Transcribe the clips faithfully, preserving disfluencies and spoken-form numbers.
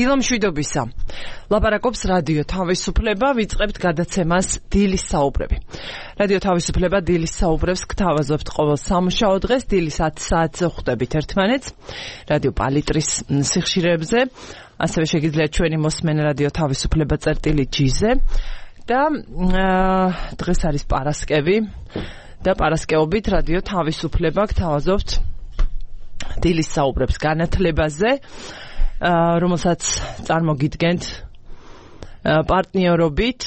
დილო მშვიდობისა. ლაპარაკობს რადიო თავისუფლება, ვიწყებთ გადაცემას დილის საუბრები. რადიო თავისუფლება დილის საუბრებს გთავაზობთ ყოველ სამუშაო დღეს, დილის ათი საათზე ხვდებით ერთმანეთს, რადიო პალიტრის სიხშირეებზე, ასევე შეგიძლიათ ჩვენი მოსმენა რადიო თავისუფლება წერტილი ჯი-ზე და დღეს არის პარასკევი და პარასკევობით რადიო თავისუფლება გთავაზობთ დილის საუბრებს განათლებაზე, რომელსაც წარმოგიდგენთ პარტნიორობით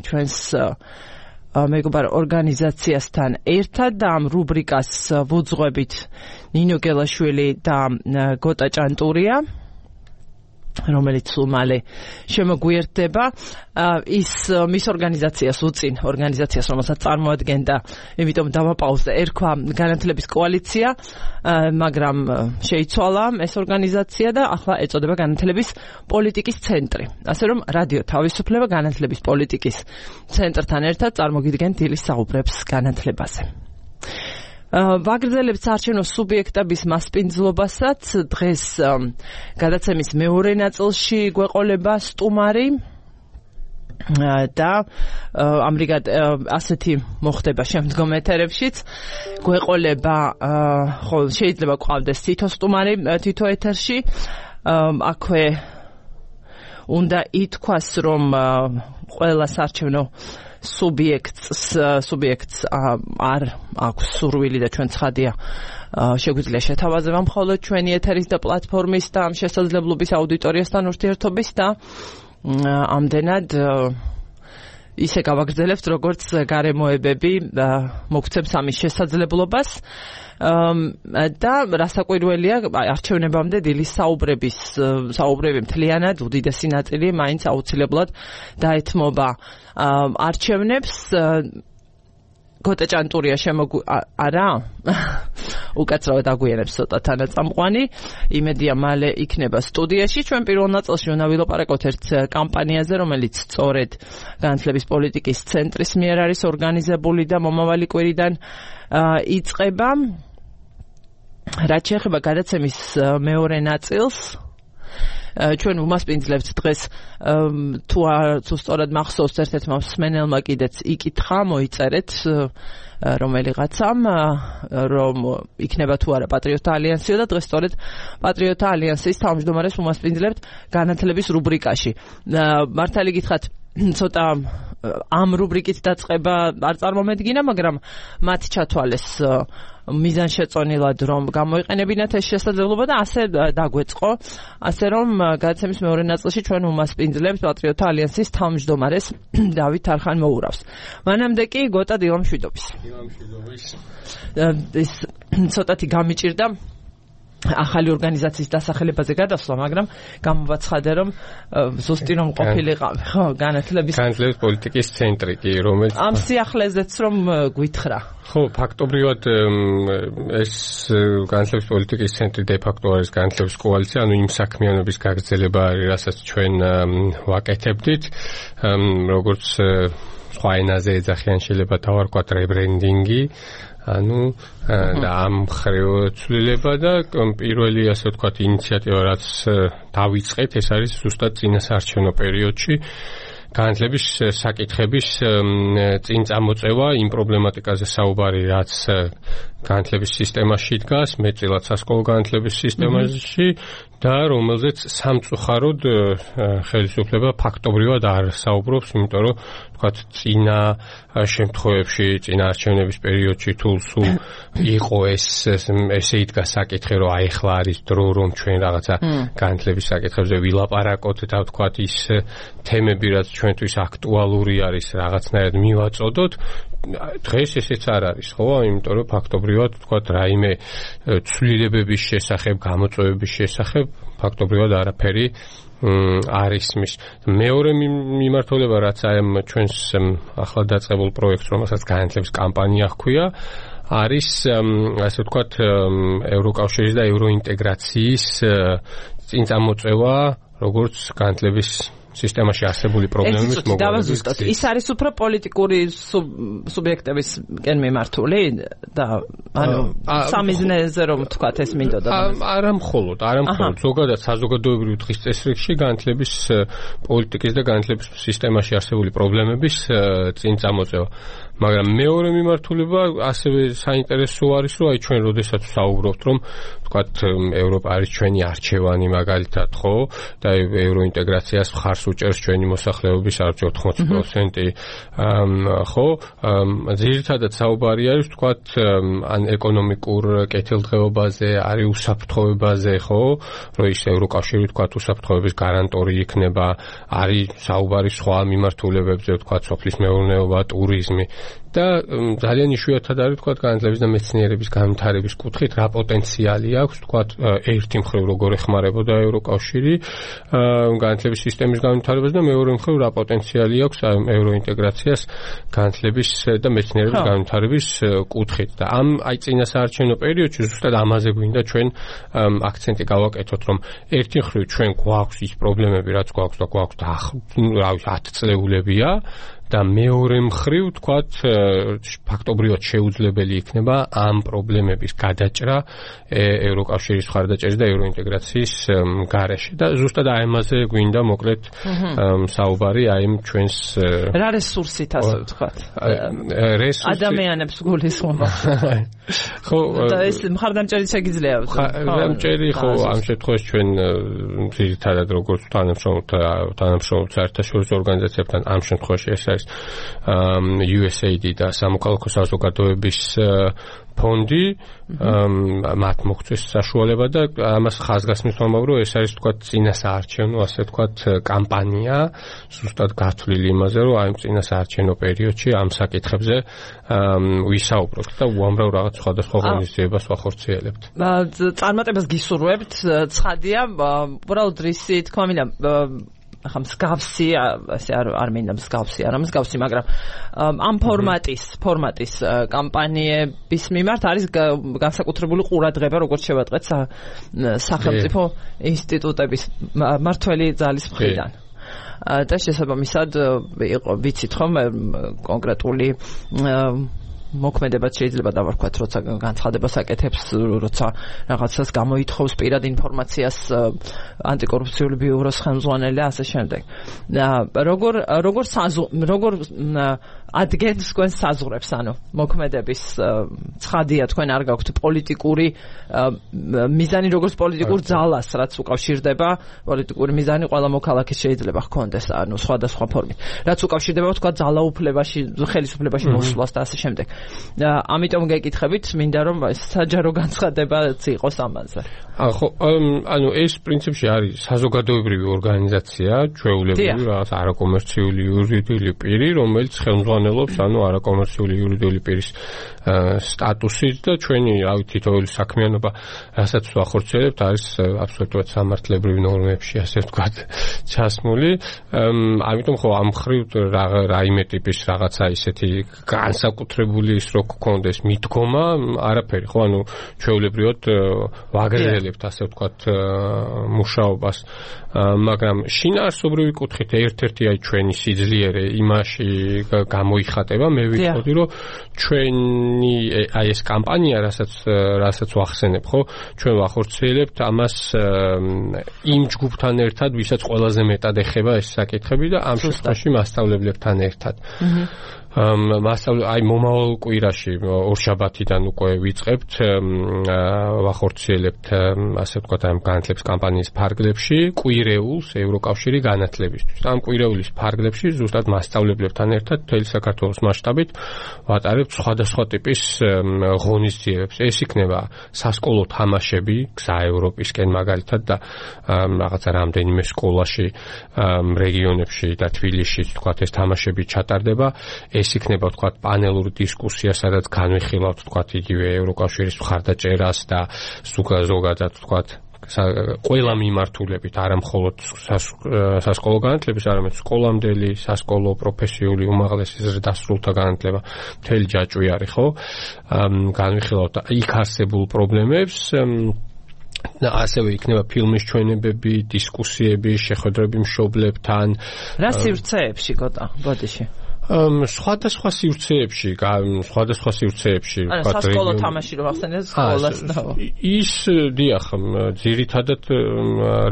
ჩვენს მეგობარ ორგანიზაციასთან ერთად და ამ რუბრიკას ვუძღვებით ნინო გელაშვილი და გოტა ჭანტურია, რომელიც სულ მალე შემოგვიერთდება. ის მის ორგანიზაციას უწინ ორგანიზაციას, რომელსაც წარმოადგენდა, იმიტომ დავაპაუზე, ერქვა განათლების კოალიცია, მაგრამ შეიცვალა ეს ორგანიზაცია და ახლა ეწოდება განათლების პოლიტიკის ცენტრი. ასე რომ რადიო თავისუფლება განათლების პოლიტიკის ცენტრთან ერთად წარმოგიდგენთ დილის საუბრებს განათლებაზე. ვაგრძელებთ საარჩევნო სუბიექტების მასპინძლობასაც. დღეს გადაცემის მეორე ნაწილში გვეყოლება სტუმარი და ამრიგად ასეთი მოხდება შემდგომ ეთერებშიც. გვეყოლება, ხო, შეიძლება გვყავდეს თითო სტუმარი თითო ეთერში. აქვე უნდა ითქვას, რომ ყველა საარჩევნო სუბიექტს სუბიექტს არ აქვს სურვილი და ჩვენ ცხადია შეგვიძლია შეთავაზება მხოლოდ ჩვენი ეთერის და პლატფორმის და ამ შესაძლებლობის აუდიტორიასთან ურთიერთობის და ამდენად ისე გავაგრძელებთ, როგორც გარემოებები მოგცემს ამის შესაძლებლობას. და რასაკვირველია, არჩევნებამდე დილის საუბრების საუბრები მთლიანად უდიდესი ნაწილი მაინც აუცილებლად დაეთმობა არჩევნებს. გოტა ჭანტურია შემოგ არა უკაცრავად აგვიანებს ცოტა თანაწამყვანი. იმედია მალე იქნება სტუდიაში. ჩვენ პირველ ნაწილში უნდა ვილაპარაკოთ ერთ კამპანიაზე, რომელიც სწორედ განათლების პოლიტიკის ცენტრის მიერ არის ორგანიზებული და მომავალი კვირიდან იწყება. რაც შეეხება გადაცემის მეორე ნაწილს, ჩვენ ვუმასპინძლებთ დღეს, თუ თუ სწორად მახსოვს, ერთ-ერთმა მსმენელმა კიდეც იკითხა, მოიწერეთ რომელიღაცამ, რომ იქნება თუ არა პატრიოტთა ალიანსიო და დღეს სწორედ პატრიოტთა ალიანსის თავმჯდომარეს ვუმასპინძლებთ განათლების რუბრიკაში. მართალი გითხრათ, ცოტა ამ რუბრიკით დაწყება არ წარმომედგინა, მაგრამ მათ ჩათვალეს მიზანშეწონილად, რომ გამოიყენებინათ ეს შესაძლებლობა და ასე დაგვეწყო. ასე რომ გადაცემის მეორე ნაწილში ჩვენ ვუმასპინძლებთ პატრიოტთა ალიანსის თავმჯდომარეს დავით არხან-მოურავს. მანამდე კი გოტა დილო მშვიდობის. დილო მშვიდობის. ეს ცოტათი გამიჭირდა ახალი ორგანიზაციის დასახელებაზე გადასვლა, მაგრამ გამოვაცხადე, რომ ზუსტი რომ ყოფილიყავი, ხო, განათლების განათლების პოლიტიკის ცენტრი კი, რომელიც ამ სიახლეზეც რომ გვითხრა. ხო, ფაქტობრივად ეს განათლების პოლიტიკის ცენტრი de facto არის განათლების კოალიცია, ანუ იმ საქმიანობის გაგრძელება არის, რასაც ჩვენ ვაკეთებდით, როგორც სხვა ენაზე ეძახიან, შეიძლება დავარქვათ rebranding-ი, ანუ და ამ მხრივ ცვლილება და პირველი, ასე ვთქვათ, ინიციატივა, რაც დავიწყეთ, ეს არის ზუსტად წინა საარჩევნო პერიოდში განათლების საკითხების წინ წამოწევა, იმ პრობლემატიკაზე საუბარი, რაც განათლების სისტემაში დგას, მეტწილად სასკოლო განათლების სისტემაში და რომელზეც სამწუხაროდ ხელისუფლება ფაქტობრივად არ საუბრობს, იმიტომ რომ ვთქვათ, წინა შემთხვევებში, წინა არჩევნების პერიოდში თუ სულ იყო ეს ესე იდგა საკითხი, რომ აი ახლა არის დრო, რომ ჩვენ რაღაცა განათლების საკითხებზე ვილაპარაკოთ და ვთქვათ, ის თემები, რაც ჩვენთვის აქტუალური არის, რაღაცნაირად მივაწოდოთ. დღეს ესეც არ არის, ხო? იმიტომ რომ ფაქტობრივად ვთქვათ, რაიმე ცვლილებების შესახებ, გამოწვევების შესახებ ფაქტობრივად არაფერი არ ისმის. მეორე მიმართულება, რაც ამ ჩვენს ახლა დაწყებულ პროექტს, რომელსაც განათლების კამპანია ჰქვია, არის ასე ვთქვათ, ევროკავშირის და ევროინტეგრაციის წინ წამოწევა, როგორც განათლების სისტემაში არსებული პრობლემების მოგვარებით. ის არის უფრო პოლიტიკური სუბიექტების კენ მიმართული და ანუ სამიზნეზე რომ თქვათ ეს მინდოდა. არა მხოლოდ, არა მხოლოდ, ზოგადად საზოგადოებრივი დღის წესრიგში განათლების პოლიტიკის და განათლების სისტემაში არსებული პრობლემების წინ წამოწევა. მაგრამ მეორე მიმართულება ასევე საინტერესო არის, რომ აი ჩვენ როდესაც საუბრობთ, რომ თქვათ ევროპა არის ჩვენი არჩევანი მაგალითად, ხო? და ევროინტეგრაციას მხარს უჭერს ჩვენი მოსახლეობის არჩევ ოთხმოცი პროცენტი, ხო? ძირითადად საუბარი არის თქვათ ან ეკონომიკურ კეთილდღეობაზე, არის უსაფრთხოებაზე, ხო? რომ ის ევროკავშირი თქვათ უსაფრთხოების გარანტორი იქნება, არის საუბარი სხვა მიმართულებებზე, თქვათ სოფლის მეურნეობა, ტურიზმი. და ძალიან იშვიათად არის თქვათ განათლების და მეცნიერების განვითარების კუთხით რა პოტენციალი აქვს თქვათ ერთი მხრივ როგორ ეხმარებოდა ევროკავშირი განათლების სისტემის განვითარებას და მეორე მხრივ რა პოტენციალი აქვს ევროინტეგრაციას განათლების და მეცნიერების განვითარების კუთხით და ამ აი წინასაარჩევნო პერიოდში ზუსტად ამაზე გვინდა ჩვენ აქცენტი გავაკეთოთ რომ ერთი მხრივ ჩვენ გვაქვს ის პრობლემები რაც გვაქვს და გვაქვს და რა ვიცი ათ წლეულებია და მეორე მხრივ თქვათ ფაქტობრივად შეუძლებელი იქნება ამ პრობლემების გადაჭრა ევროკავშირის მხარდაჭერის და ევროინტეგრაციის გარეშე და ზუსტად აი ამაზე გვინდა მოკლედ საუბარი აი ჩვენს რა რესურსით ასე ვთქვათ რესურსი ადამიანებს გულისხმობა ხო და ეს მხარდამჭერი შეგიძლია მხარდამჭერი ხო ამ შემთხვევაში ჩვენ ძირითადად როგორც თანამშრომლთა თანამშრომლთა საერთაშორისო ორგანიზაციებთან ამ შემთხვევაში ეს U S A I D და სამოქალაქო საზოგადოების ფონდი მათ მოგვწეს საშუალება და ამას ხაზგასმის ვამბობ რომ ეს არის თქვათ წინასაარჩევნო ასე თქვათ კამპანია ზუსტად გათვლილი იმაზე რომ აი წინასაარჩევნო პერიოდში ამ საკითხებზე ვისაუბროთ და უამრავ რაღაც სხვადასხვა ღონისძიებას ვახორციელებთ. წარმატებას გისურვებთ, ცხადია, უბრალოდ რისი თქმა მინდა ახლა მსგავსი ასე არ არ მინდა მსგავსი არა მსგავსი მაგრამ ამ ფორმატის ფორმატის კამპანიების მიმართ არის განსაკუთრებული ყურადღება როგორც შევატყეთ სახელმწიფო ინსტიტუტების მართველი ძალის მხრიდან და შესაბამისად იყო ვიცით ხომ კონკრეტული მოქმედებად შეიძლება დავარქვათ, როცა განცხადებას აკეთებს, როცა რაღაცას გამოითხოვს პირად ინფორმაციას ანტიკორუფციული ბიუროს ხელმძღვანელი და ასე შემდეგ. როგორ როგორ როგორ ადგენს თქვენ საზღვრებს, ანუ მოქმედების ცხადია თქვენ არ გაქვთ პოლიტიკური მიზანი როგორც პოლიტიკურ ძალას, რაც უკავშირდება პოლიტიკური მიზანი ყველა მოქალაქეს შეიძლება ჰქონდეს, ანუ სხვადასხვა ფორმით. რაც უკავშირდება თქვა ძალაუფლებაში, ხელისუფლებაში მოსვლას და ასე შემდეგ. ამიტომ გეკითხებით, მინდა რომ საჯარო განცხადებაც იყოს ამაზე. ხო, ანუ ეს პრინციპში არის საზოგადოებრივი ორგანიზაცია, ჩვეულებრივი რაღაც არაკომერციული იურიდიული პირი, რომელიც ხელმძღვანელობს ანუ არაკომერციული იურიდიული პირის სტატუსით და ჩვენი რავი თითოეული საქმიანობა, რასაც ვახორციელებთ, არის აბსოლუტურად სამართლებრივი ნორმებში, ასე ვთქვათ, ჩასმული. ამიტომ ხო ამ მხრივ რაიმე ტიპის რაღაცა ისეთი განსაკუთრებული ის რო გქონდეს მიდგომა, არაფერი, ხო, ანუ ჩვეულებრივად ვაგრძელებთ, ასე ვთქვათ, მუშაობას, მაგრამ შინაარსობრივი კუთხით ერთ-ერთი აი ჩვენი სიძლიერე იმაში გამოიხატება, მე ვიცოდი, რომ ჩვენი აი ეს კამპანია, რასაც რასაც ვახსენებ, ხო, ჩვენ ვახორციელებთ ამას იმ ჯგუფთან ერთად, ვისაც ყველაზე მეტად ეხება ეს საკითხები და ამ შემთხვევაში მასწავლებლებთან ერთად. მასწავლე აი მომავალ კვირაში ორშაბათიდან უკვე ვიწყებთ ვახორციელებთ ასე ვთქვათ ამ განათლების კამპანიის ფარგლებში კვირეულს ევროკავშირი განათლებისთვის. ამ კვირეულის ფარგლებში ზუსტად მასწავლებლებთან ერთად მთელი საქართველოს მასშტაბით ვატარებთ სხვადასხვა ტიპის ღონისძიებებს. ეს იქნება სასკოლო თამაშები გზა ევროპისკენ მაგალითად და რაღაცა რამდენიმე სკოლაში რეგიონებში და თბილისში ვთქვათ ეს თამაშები ჩატარდება. ეს იქნება ვთქვათ პანელური დისკუსია, სადაც განვიხილავთ ვთქვათ იგივე ევროკავშირის მხარდაჭერას და ზოგადად ვთქვათ ყველა მიმართულებით, არა მხოლოდ სასკოლო განათლების, არამედ სკოლამდელი, სასკოლო პროფესიული უმაღლესი ზრდასრულთა განათლება, მთელი ჯაჭვი არის, ხო? განვიხილავთ იქ არსებულ პრობლემებს ასევე იქნება ფილმის ჩვენებები, დისკუსიები, შეხვედრები მშობლებთან. რა სივრცეებში გოტა, ბოდიში? სხვადასხვა სივრცეებში, სხვადასხვა სივრცეებში, ვთქვათ, სასკოლო თამაში რო ახსენეთ სკოლას და ის დიახ, ძირითადად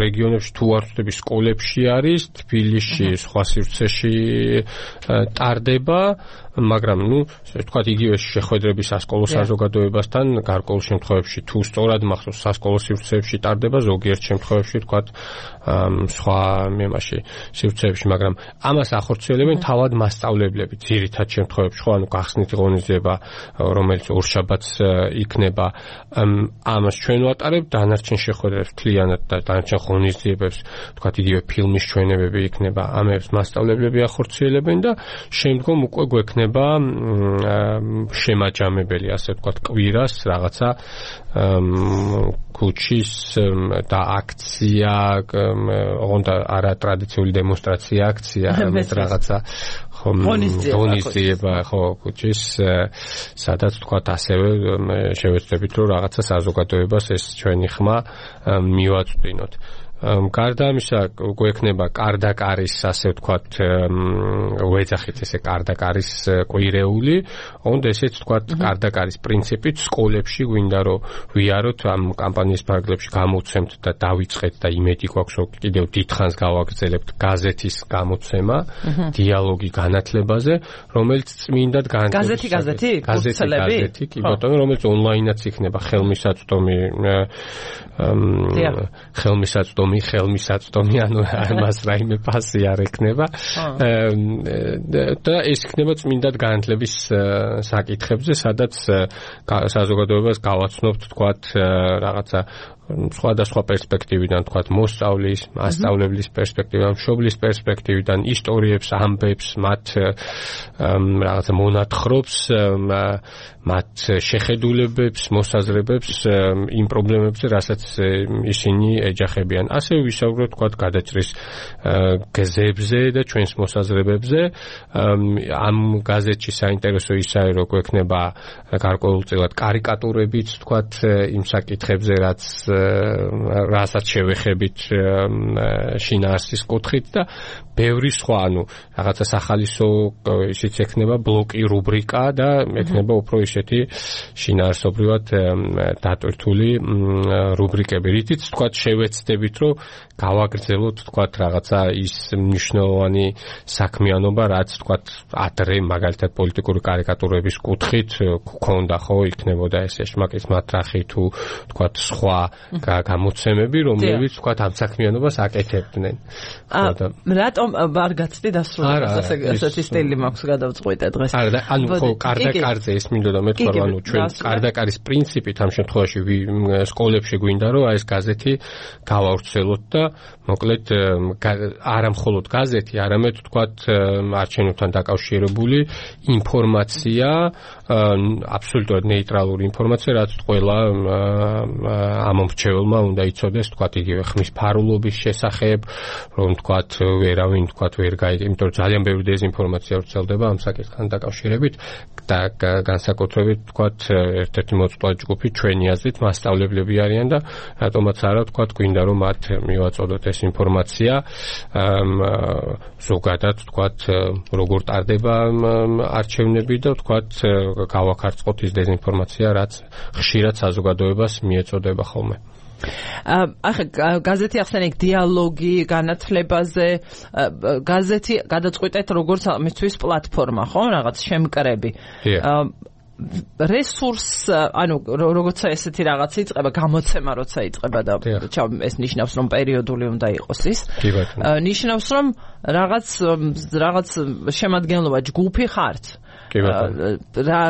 რეგიონებში თუ არ ვწდები სკოლებში არის, თბილისში, სხვა სივრცეში ტარდება, მაგრამ ნუ ვთქვათ იგივე შეხვედრები სასკოლო საზოგადოებასთან გარკვეულ შემთხვევებში თუ სწორად მახსოვს სასკოლო სივრცეებში ტარდება, ზოგიერთ შემთხვევებში ვთქვათ სხვა მემაში სივრცეებში, მაგრამ ამას ახორციელებენ თავად მასწავლებლები ძირითად შემთხვევებში, ხო, ანუ გახსნით ღონისძიება, რომელიც ორშაბათს იქნება, ამას ჩვენ ვატარებთ, დანარჩენ შეხვედრებს მთლიანად და დანარჩენ ღონისძიებებს, ვთქვათ იგივე ფილმის ჩვენებები იქნება, ამებს მასწავლებლები ახორციელებენ და შემდგომ უკვე გვექნება შემაჯამებელი, ასე ვთქვათ, კვირას რაღაცა ქუჩის და აქცია, ოღონდ არა ტრადიციული დემონსტრაცია, აქცია, ამით რაღაცა ღონისძიება, ხო, ქუჩის, სადაც ვთქვათ ასევე შევეცდებით, რომ რაღაცა საზოგადოებას ეს ჩვენი ხმა მივაწვდინოთ. გარდა ამისა გვექნება კარდაკარის, ასე ვთქვათ, ვეძახით ესე კარდაკარის კვირეული, ოღონდ ესეც ვთქვათ კარდაკარის პრინციპით სკოლებში გვინდა რომ ვიაროთ ამ კამპანიის ფარგლებში გამოვცემთ და დავიწყეთ და იმედი გვაქვს რომ კიდევ დიდხანს გავაგრძელებთ გაზეთის გამოცემა, დიალოგი განათლებაზე, რომელიც წმინდად განათლების გაზეთი გაზეთი გაზეთი, კი ბატონო, რომელიც ონლაინაც იქნება, ხელმისაწვდომი ხელმისაწვდომი ხელმისაწვდომი, ანუ ამას რაიმე ფასი არ ექნება და ეს იქნება წმინდად განათლების საკითხებზე, სადაც საზოგადოებას გავაცნობთ, თქვათ, რაღაცა სხვადასხვა პერსპექტივიდან, თქვათ, მოსწავლის, მასწავლებლის პერსპექტივიდან, მშობლის პერსპექტივიდან, ისტორიებს, ამბებს, მათ რაღაცა მონათხრობს, მათ შეხედულებებს, მოსაზრებებს იმ პრობლემებზე, რასაც ისინი ეჯახებიან. ასევე ვისაუბროთ, თქვათ, გადაჭრის გზებზე და ჩვენს მოსაზრებებზე. ამ გაზეთში საინტერესო ისაა, რომ გვექნება გარკვეულწილად კარიკატურებიც, თქვათ, იმ საკითხებზე, რაც რასაც შევეხებით შინაარსის კუთხით და ბევრი სხვა, ანუ რაღაცა სახალისო ისიც ექნება ბლოკი, რუბრიკა და ექნება უფრო ისეთი შინაარსობრივად დატვირთული რუბრიკები, რითიც თქვათ შევეცდებით, რომ გავაგრძელოთ, თქვათ, რაღაცა ის მნიშვნელოვანი საქმიანობა, რაც თქვათ ადრე მაგალითად პოლიტიკური კარიკატურების კუთხით გქონდა, ხო, იქნებოდა ეს ეშმაკის მატრახი თუ თქვათ სხვა გამოცემები, რომლებიც თქვათ ამ საქმიანობას აკეთებდნენ. რატომ არ გაცდი დასრულებას, ასეთი სტილი მაქვს გადავწყვიტე დღეს. არა, ანუ ხო, კარდაკარზე ეს მინდოდა მეთქვა, რომ ანუ ჩვენ კარდაკარის პრინციპით ამ შემთხვევაში სკოლებში გვინდა, რომ ეს გაზეთი გავავრცელოთ და მოკლედ არა მხოლოდ გაზეთი, არამედ თქვათ არჩევნებთან დაკავშირებული ინფორმაცია, აბსოლუტურად ნეიტრალური ინფორმაცია, რაც ყველა ამომრჩეველმა უნდა იცოდეს, თქვათ, იგივე ხმის ფარულობის შესახებ, რომ თქვათ ვერავინ თქვათ ვერ გაიგე, იმიტომ რომ ძალიან ბევრი დეზინფორმაცია ვრცელდება ამ საკითხთან დაკავშირებით და განსაკუთრებით თქვათ ერთ-ერთი მოწვევა ჯგუფი ჩვენი აზრით მასწავლებლები არიან და რატომაც არა თქვათ გვინდა რომ მათ მივაწოდოთ ეს ინფორმაცია ზოგადად თქვათ როგორ ტარდება არჩევნები და თქვათ გავაქარწყოთ ის დეზინფორმაცია რაც ხშირად საზოგადოებას მიეწოდება ხოლმე. ახლა გაზეთი ახსენე დიალოგი განათლებაზე, გაზეთი გადაწყვეტეთ როგორც მისთვის პლატფორმა, ხო, რაღაც შემკრები. რესურს, ანუ როცა ესეთი რაღაც იწყება, გამოცემა როცა იწყება და ეს ნიშნავს რომ პერიოდული უნდა იყოს ის. ნიშნავს რომ რაღაც რაღაც შემადგენლობა ჯგუფი ხართ. რა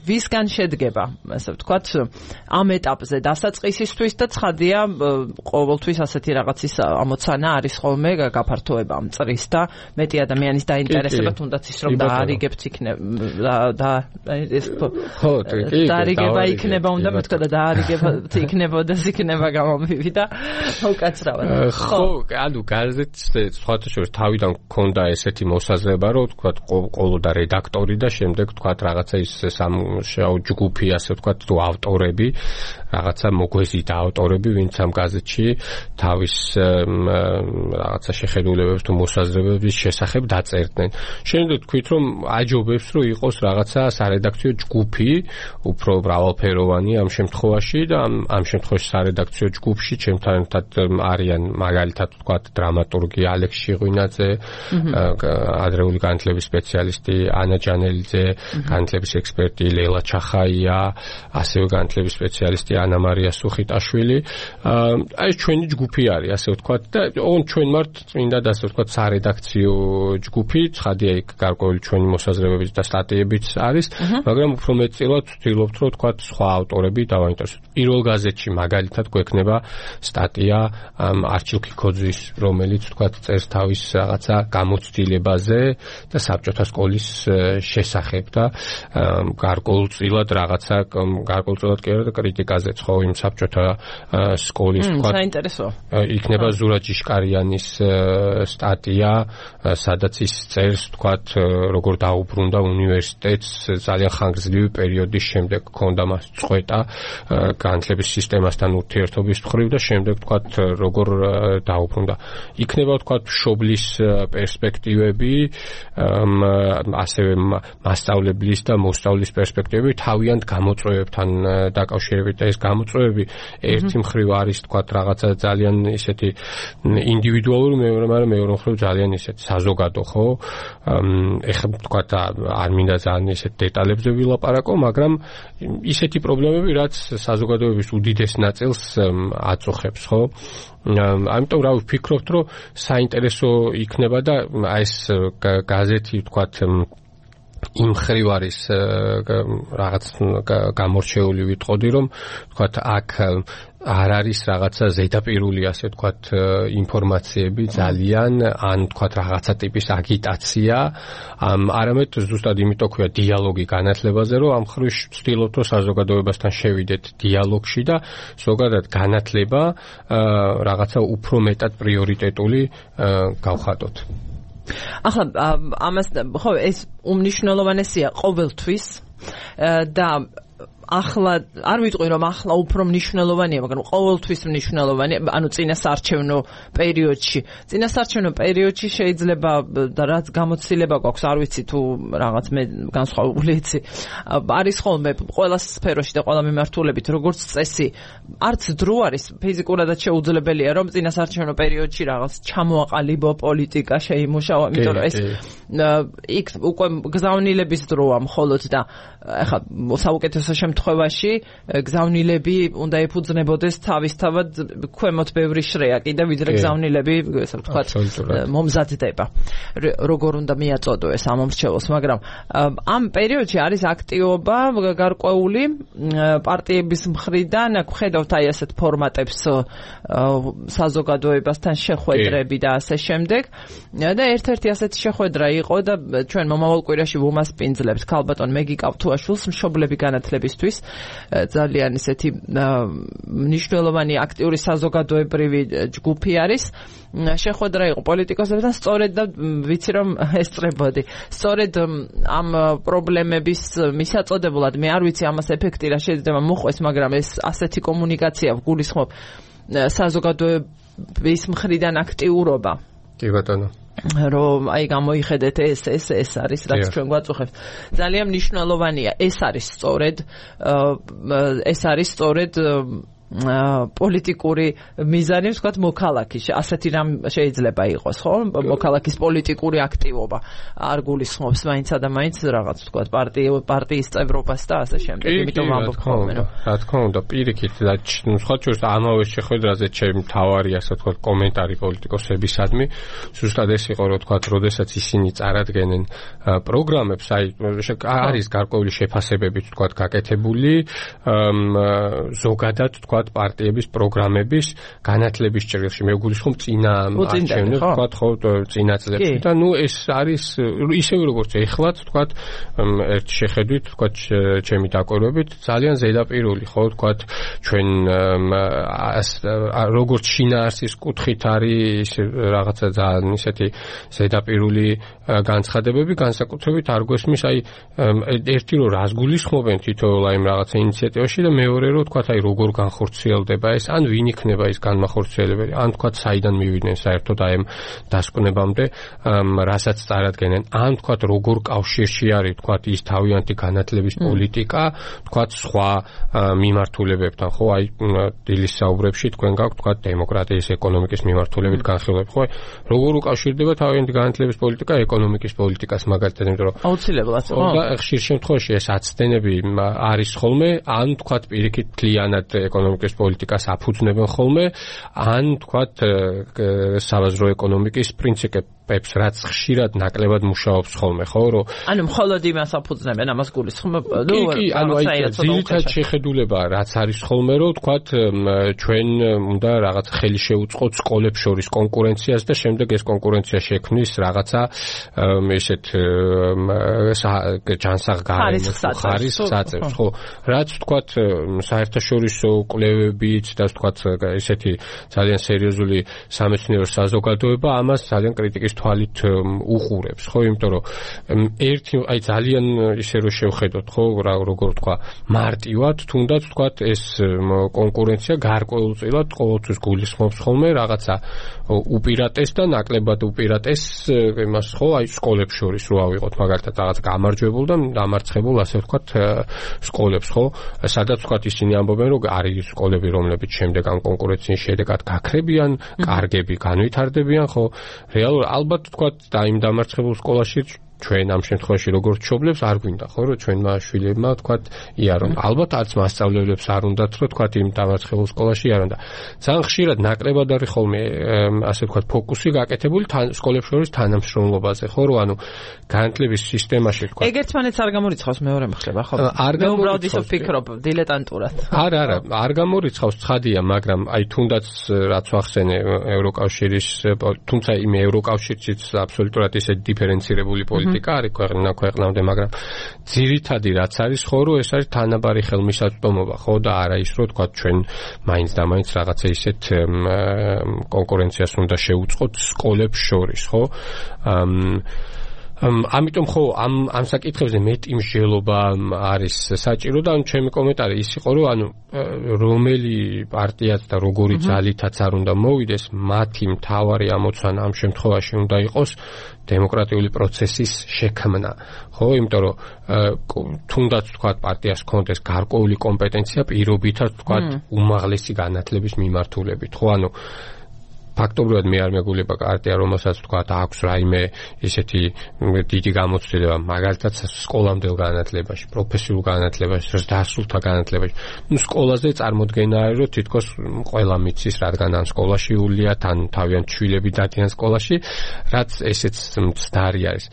ვისგან შედგება, ასე ვთქვათ, ამ ეტაპზე დასაწყისისთვის და ცხადია ყოველთვის ასეთი რაღაცის ამოცანა არის ხოლმე გაფართოება ამ წრის და მეტი ადამიანის დაინტერესება თუნდაც ის რომ დაარიგებთ იქნება და ეს ხო, დაარიგება იქნება უნდა მეთქვა და დაარიგებთ იქნებოდეს იქნება გამომივიდა უკაცრავად. ხო, ანუ გაზეთს სხვათა შორის თავიდან გქონდა ესეთი მოსაზრება, რომ ვთქვათ, ყოლოდა რედაქტორი და შემდეგ შემდეგ თქვათ რაღაცა ის სამუშაო ჯგუფი, ასე ვთქვათ, თუ ავტორები, რაღაცა მოგვეზიდა ავტორები, ვინც ამ გაზეთში თავის რაღაცა შეხედულებებს თუ მოსაზრებების შესახებ დაწერდნენ. შემდეგ თქვით, რომ აჯობებს, რომ იყოს რაღაცა სარედაქციო ჯგუფი, უფრო მრავალფეროვანი ამ შემთხვევაში და ამ ამ შემთხვევაში სარედაქციო ჯგუფში ჩემთან ერთად არიან მაგალითად ვთქვათ დრამატურგი ალექს შირღვინაძე, ადრეული განათლების სპეციალისტი ანა ჯანელიძე, განათლების ექსპერტი ლელა ჩახაია, ასევე განათლების სპეციალისტი ანა მარია სუხიტაშვილი. აი ეს ჩვენი ჯგუფი არის, ასე ვთქვათ და ოღონდ ჩვენ ვართ წმინდა და ასე ვთქვათ სარედაქციო ჯგუფი, ცხადია იქ გარკვეული ჩვენი მოსაზრებებით და სტატიებიც არის, მაგრამ უფრო მეტწილად ვცდილობთ, რომ ვთქვათ სხვა ავტორები დავაინტერესოთ. პირველ გაზეთში მაგალითად გვექნება სტატია არჩილ ქიქოძის, რომელიც ვთქვათ წერს თავის რაღაცა გამოცდილებაზე და საბჭოთა სკოლის შესახებ და გარკვეულწილად რაღაცა გარკვეულწილად კი არა კრიტიკაზეც ხო იმ საბჭოთა სკოლის ვთქვათ. საინტერესო. იქნება ზურა ჯიშკარიანის სტატია, სადაც ის წერს ვთქვათ როგორ დაუბრუნდა უნივერსიტეტს ძალიან ხანგრძლივი პერიოდის შემდეგ ქონდა მას წყვეტა განათლების სისტემასთან ურთიერთობის მხრივ და შემდეგ ვთქვათ როგორ დაუბრუნდა. იქნება ვთქვათ მშობლის პერსპექტივები, ასევე მასწავლებლის და მოსწავლის პერსპექტივები თავიანთ გამოწვევებთან დაკავშირებით და ეს გამოწვევები ერთი მხრივ არის ვთქვათ რაღაცა ძალიან ისეთი ინდივიდუალური, მაგრამ მეორე მხრივ ძალიან ისეთი საზოგადო, ხო? ეხლა ვთქვათ არ მინდა ძალიან ისეთ დეტალებზე ვილაპარაკო, მაგრამ ისეთი პრობლემები, რაც საზოგადოების უდიდეს ნაწილს აწუხებს, ხო? ამიტომ რა ვფიქრობთ, რომ საინტერესო იქნება და აი ეს გაზეთი ვთქვათ იმ ხრივ არის რაღაც გამორჩეული ვიტყოდი, რომ ვთქვათ აქ არ არის რაღაცა ზედაპირული, ასე ვთქვათ, ინფორმაციები ძალიან, ან ვთქვათ რაღაცა ტიპის აგიტაცია, არამედ ზუსტად იმიტომ ქვია დიალოგი განათლებაზე, რომ ამ ხრივ ვცდილობთ, რომ საზოგადოებასთან შევიდეთ დიალოგში და ზოგადად განათლება რაღაცა უფრო მეტად პრიორიტეტული გავხატოთ. ახლა ამას ხო ეს უმნიშვნელოვანესია ყოველთვის და ახლა არ ვიტყვი რომ ახლა უფრო მნიშვნელოვანია, მაგრამ ყოველთვის მნიშვნელოვანია, ანუ წინასარჩევნო პერიოდში. წინასარჩევნო პერიოდში შეიძლება და რაც გამოცდილება გვაქვს, არ ვიცი თუ რაღაც მე განსხვავებული იცი. არის ხოლმე ყველა სფეროში და ყველა მიმართულებით, როგორც წესი, არც დრო არის ფიზიკურადაც შეუძლებელია, რომ წინასარჩევნო პერიოდში რაღაც ჩამოაყალიბო პოლიტიკა შეიმუშავა, იმიტომ რომ ეს იქ უკვე გზავნილების დროა მხოლოდ და ეხლა საუკეთესო შემთხვევაში გზავნილები უნდა ეფუძნებოდეს თავისთავად ქვემოთ ბევრი შრეა კიდე ვიდრე გზავნილები ესე ვთქვათ მომზადდება როგორ უნდა მიაწოდო ეს ამომრჩევლს, მაგრამ ამ პერიოდში არის აქტივობა გარკვეული პარტიების მხრიდან, აქ ხედავთ აი ასეთ ფორმატებს საზოგადოებასთან შეხვედრები და ასე შემდეგ და ერთ-ერთი ასეთი შეხვედრა იყო და ჩვენ მომავალ კვირაში ვუმასპინძლებთ ქალბატონ მეგი კავთუაშვილს მშობლები განათლებისთვის ძალიან ისეთი მნიშვნელოვანი აქტიური საზოგადოებრივი ჯგუფი არის. შეხვედრა იყო პოლიტიკოსებთან, სწორედ და ვიცი რომ ესწრებოდი. სწორედ ამ პრობლემების მისაწოდებლად მე არ ვიცი ამას ეფექტი რა შეიძლება მოხდეს, მაგრამ ეს ასეთი კომუნიკაცია ვგულისხმობ საზოგადოების მხრიდან აქტიურობა. კი ბატონო. რომ აი გამოიხედეთ ეს ეს ეს არის რაც ჩვენ გვაწუხებს. ძალიან მნიშვნელოვანია. ეს არის სწორედ ეს არის სწორედ პოლიტიკური მიზანი, ვთქვათ, მოქალაქის. ასეთი რამ შეიძლება იყოს, ხო? მოქალაქის პოლიტიკური აქტივობა არ გულისხმობს მაინცა და მაინც რაღაც, ვთქვათ, პარტიო პარტიის წევრობას და ასე შემდეგ. იმიტომ ვამბობ ხოლმე, რომ რა თქმა უნდა, პირიქით და სხვა ჩვენს ამავე შეხვედრაზე ჩემი თავარი, ასე ვთქვათ, კომენტარი პოლიტიკოსებისადმი, ზუსტად ეს იყო, რომ ვთქვათ, როდესაც ისინი წარადგენენ პროგრამებს, აი არის გარკვეული შეფასებებით, ვთქვათ, გაკეთებული ზოგადად, ვთქვათ, თქვათ პარტიების პროგრამების განათლების ჭრილში მე ვგულისხმობ წინა არჩევნებს თქვათ ხო წინა წლებში და ნუ ეს არის ისევ როგორც ეხლაც თქვათ ერთ შეხედვით თქვათ ჩემი დაკვირვებით ძალიან ზედაპირული ხო თქვათ ჩვენ როგორც შინაარსის კუთხით არის რაღაცა ძალიან ისეთი ზედაპირული განცხადებები განსაკუთრებით არ გვესმის აი ერთი რომ რას გულისხმობენ თითოეულ აი რაღაცა ინიციატივაში და მეორე რომ თქვათ აი როგორ განხორციელდება ეს ან ვინ იქნება ის განმახორციელებელი ან თქვათ საიდან მივიდნენ საერთოდ აი ამ დასკვნებამდე რასაც წარადგენენ ან თქვათ როგორ კავშირში არის თქვათ ის თავიანთი განათლების პოლიტიკა თქვათ სხვა მიმართულებებთან ხო აი დილის საუბრებში თქვენ გაქვთ თქვათ დემოკრატიის ეკონომიკის მიმართულებით განხილვები ხო როგორ უკავშირდება თავიანთი განათლების პოლიტიკა ეკონომიკის პოლიტიკას მაგალითად იმიტომ რომ აუცილებლად ხო და ხშირ შემთხვევაში ეს აცდენები არის ხოლმე ან თქვათ პირიქით მთლიანად ეკონომიკის პოლიტიკას აფუძნებენ ხოლმე ან თქვათ საბაზრო ეკონომიკის პრინციპებს რაც ხშირად ნაკლებად მუშაობს ხოლმე ხო რომ ანუ მხოლოდ იმას აფუძნებენ ამას გულისხმობ კი კი ანუ აი ძირითად შეხედულება რაც არის ხოლმე რომ თქვათ ჩვენ უნდა რაღაც ხელი შეუწყოთ სკოლებს შორის კონკურენციას და შემდეგ ეს კონკურენცია შექმნის რაღაცა ესეთ ჯანსაღგარემოს ხარისხს აწევს ხო რაც თქვათ საერთაშორისო კვლევებით და თქვათ ესეთი ძალიან სერიოზული სამეცნიერო საზოგადოება ამას ძალიან კრიტიკის თვალით უყურებს ხო იმიტომ რომ ერთი აი ძალიან ისე რომ შევხედოთ ხო როგორ თქვა მარტივად თუნდაც თქვათ ეს კონკურენცია გარკვეულწილად ყოველთვის გულისხმობს ხოლმე რაღაცა უპირატეს და ნაკლებად უპირატეს იმას ხო აი სკოლებს შორის რო ავიღოთ მაგალითად რაღაც გამარჯვებულ და დამარცხებულ ასე ვთქვათ სკოლებს ხო სადაც ვთქვათ ისინი ამბობენ რომ არის სკოლები რომლებიც შემდეგ ამ კონკურენციის შედეგად გაქრებიან კარგები განვითარდებიან ხო რეალურად ალბათ ვთქვათ და იმ დამარცხებულ სკოლაში ჩვენ ამ შემთხვევაში როგორც მშობლებს არ გვინდა ხო რომ ჩვენმა შვილებმა ვთქვათ იარონ ალბათ არც მასწავლებლებს არ უნდათ რომ ვთქვათ იმ დამარცხებულ სკოლაში იარონ და ძალიან ხშირად ნაკლებად არის ხოლმე ასე ვთქვათ ფოკუსი გაკეთებული სკოლებს შორის თანამშრომლობაზე ხო რომ ანუ განათლების სისტემაში ვთქვათ ეგ ერთმანეთს არ გამორიცხავს მეორე მხრივ ხო არ გამორიცხავს ისო ფიქრობ დილეტანტურად არა არა არ გამორიცხავს ცხადია მაგრამ აი თუნდაც რაც ვახსენე ევროკავშირის თუმცა იმ ევროკავშირშიც აბსოლუტურად ისე დიფერენცირებული პოლიტიკა არის ქვეყნა ქვეყნამდე, მაგრამ ძირითადი რაც არის ხო რომ ეს არის თანაბარი ხელმისაწვდომობა, ხო და არა ის რომ თქვა ჩვენ მაინც და მაინც რაღაცა ისეთ კონკურენციას უნდა შევუწყოთ სკოლებს შორის, ხო? ამიტომ ხო ამ ამ საკითხებზე მეტი მსჯელობა არის საჭირო და ჩემი კომენტარი ის იყო რომ ანუ რომელი პარტიაც და როგორი ძალითაც არ უნდა მოვიდეს მათი მთავარი ამოცანა ამ შემთხვევაში უნდა იყოს დემოკრატიული პროცესის შექმნა ხო იმიტომ რომ თუნდაც თქვა პარტიას ჰქონდეს გარკვეული კომპეტენცია პირობითად თქვა უმაღლესი განათლების მიმართულებით ხო ანუ ფაქტობრივად მე არ მეგულება პარტია რომელსაც თქვა აქვს რაიმე ესეთი დიდი გამოცდილება მაგალითად სკოლამდელ განათლებაში პროფესიულ განათლებაში დასრულთა განათლებაში ნუ სკოლაზე წარმოდგენა არის რომ თითქოს ყველა მიცის რადგან ან სკოლაში იულია თან თავიანთ შვილები დადიან სკოლაში რაც ესეც მცდარი არის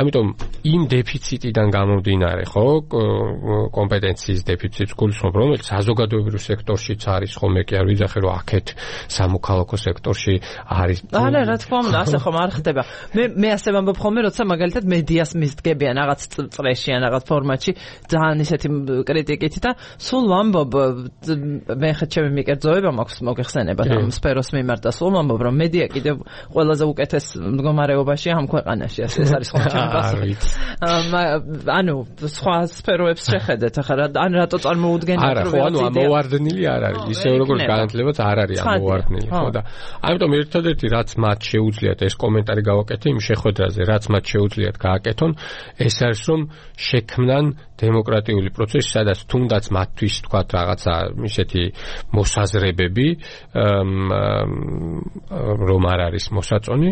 ამიტომ იმ დეფიციტიდან გამომდინარე ხო კომპეტენციის დეფიციტს გულისხმობ რომელიც საზოგადოებრივ სექტორშიც არის ხო მე კი არ ვიძახე რომ აქეთ სამოქალაქო სექტორში არის არა რა თქმა უნდა ასე ხომ არ ხდება მე მე ასე ვამბობ ხოლმე როცა მაგალითად მედიას მისდგებიან რაღაც წრეში ან რაღაც ფორმატში ძალიან ისეთი კრიტიკით და სულ ვამბობ მე ხეთ ჩემი მიკერძოება მაქვს მოგეხსენება ამ სფეროს მიმართ და სულ ვამბობ რომ მედია კიდევ ყველაზე უკეთეს მდგომარეობაში ამ ქვეყანაში ასე ეს არის ხომ ჩემი პასუხი ანუ სხვა სფეროებს შეხედეთ ახლა ან რატო წარმოუდგენიათ რომ არა ხო ანუ ამოვარდნილი არ არის ისე როგორც განათლებაც არ არის ამოვარდნილი ხო და ამიტომ ერთადერთი რაც მათ შეუძლიათ ეს კომენტარი გავაკეთე იმ შეხვედრაზე რაც მათ შეუძლიათ გააკეთონ ეს არის რომ შექმნან დემოკრატიული პროცესი სადაც თუნდაც მათთვის თქვათ რაღაცა ისეთი მოსაზრებები რომ არ არის მოსაწონი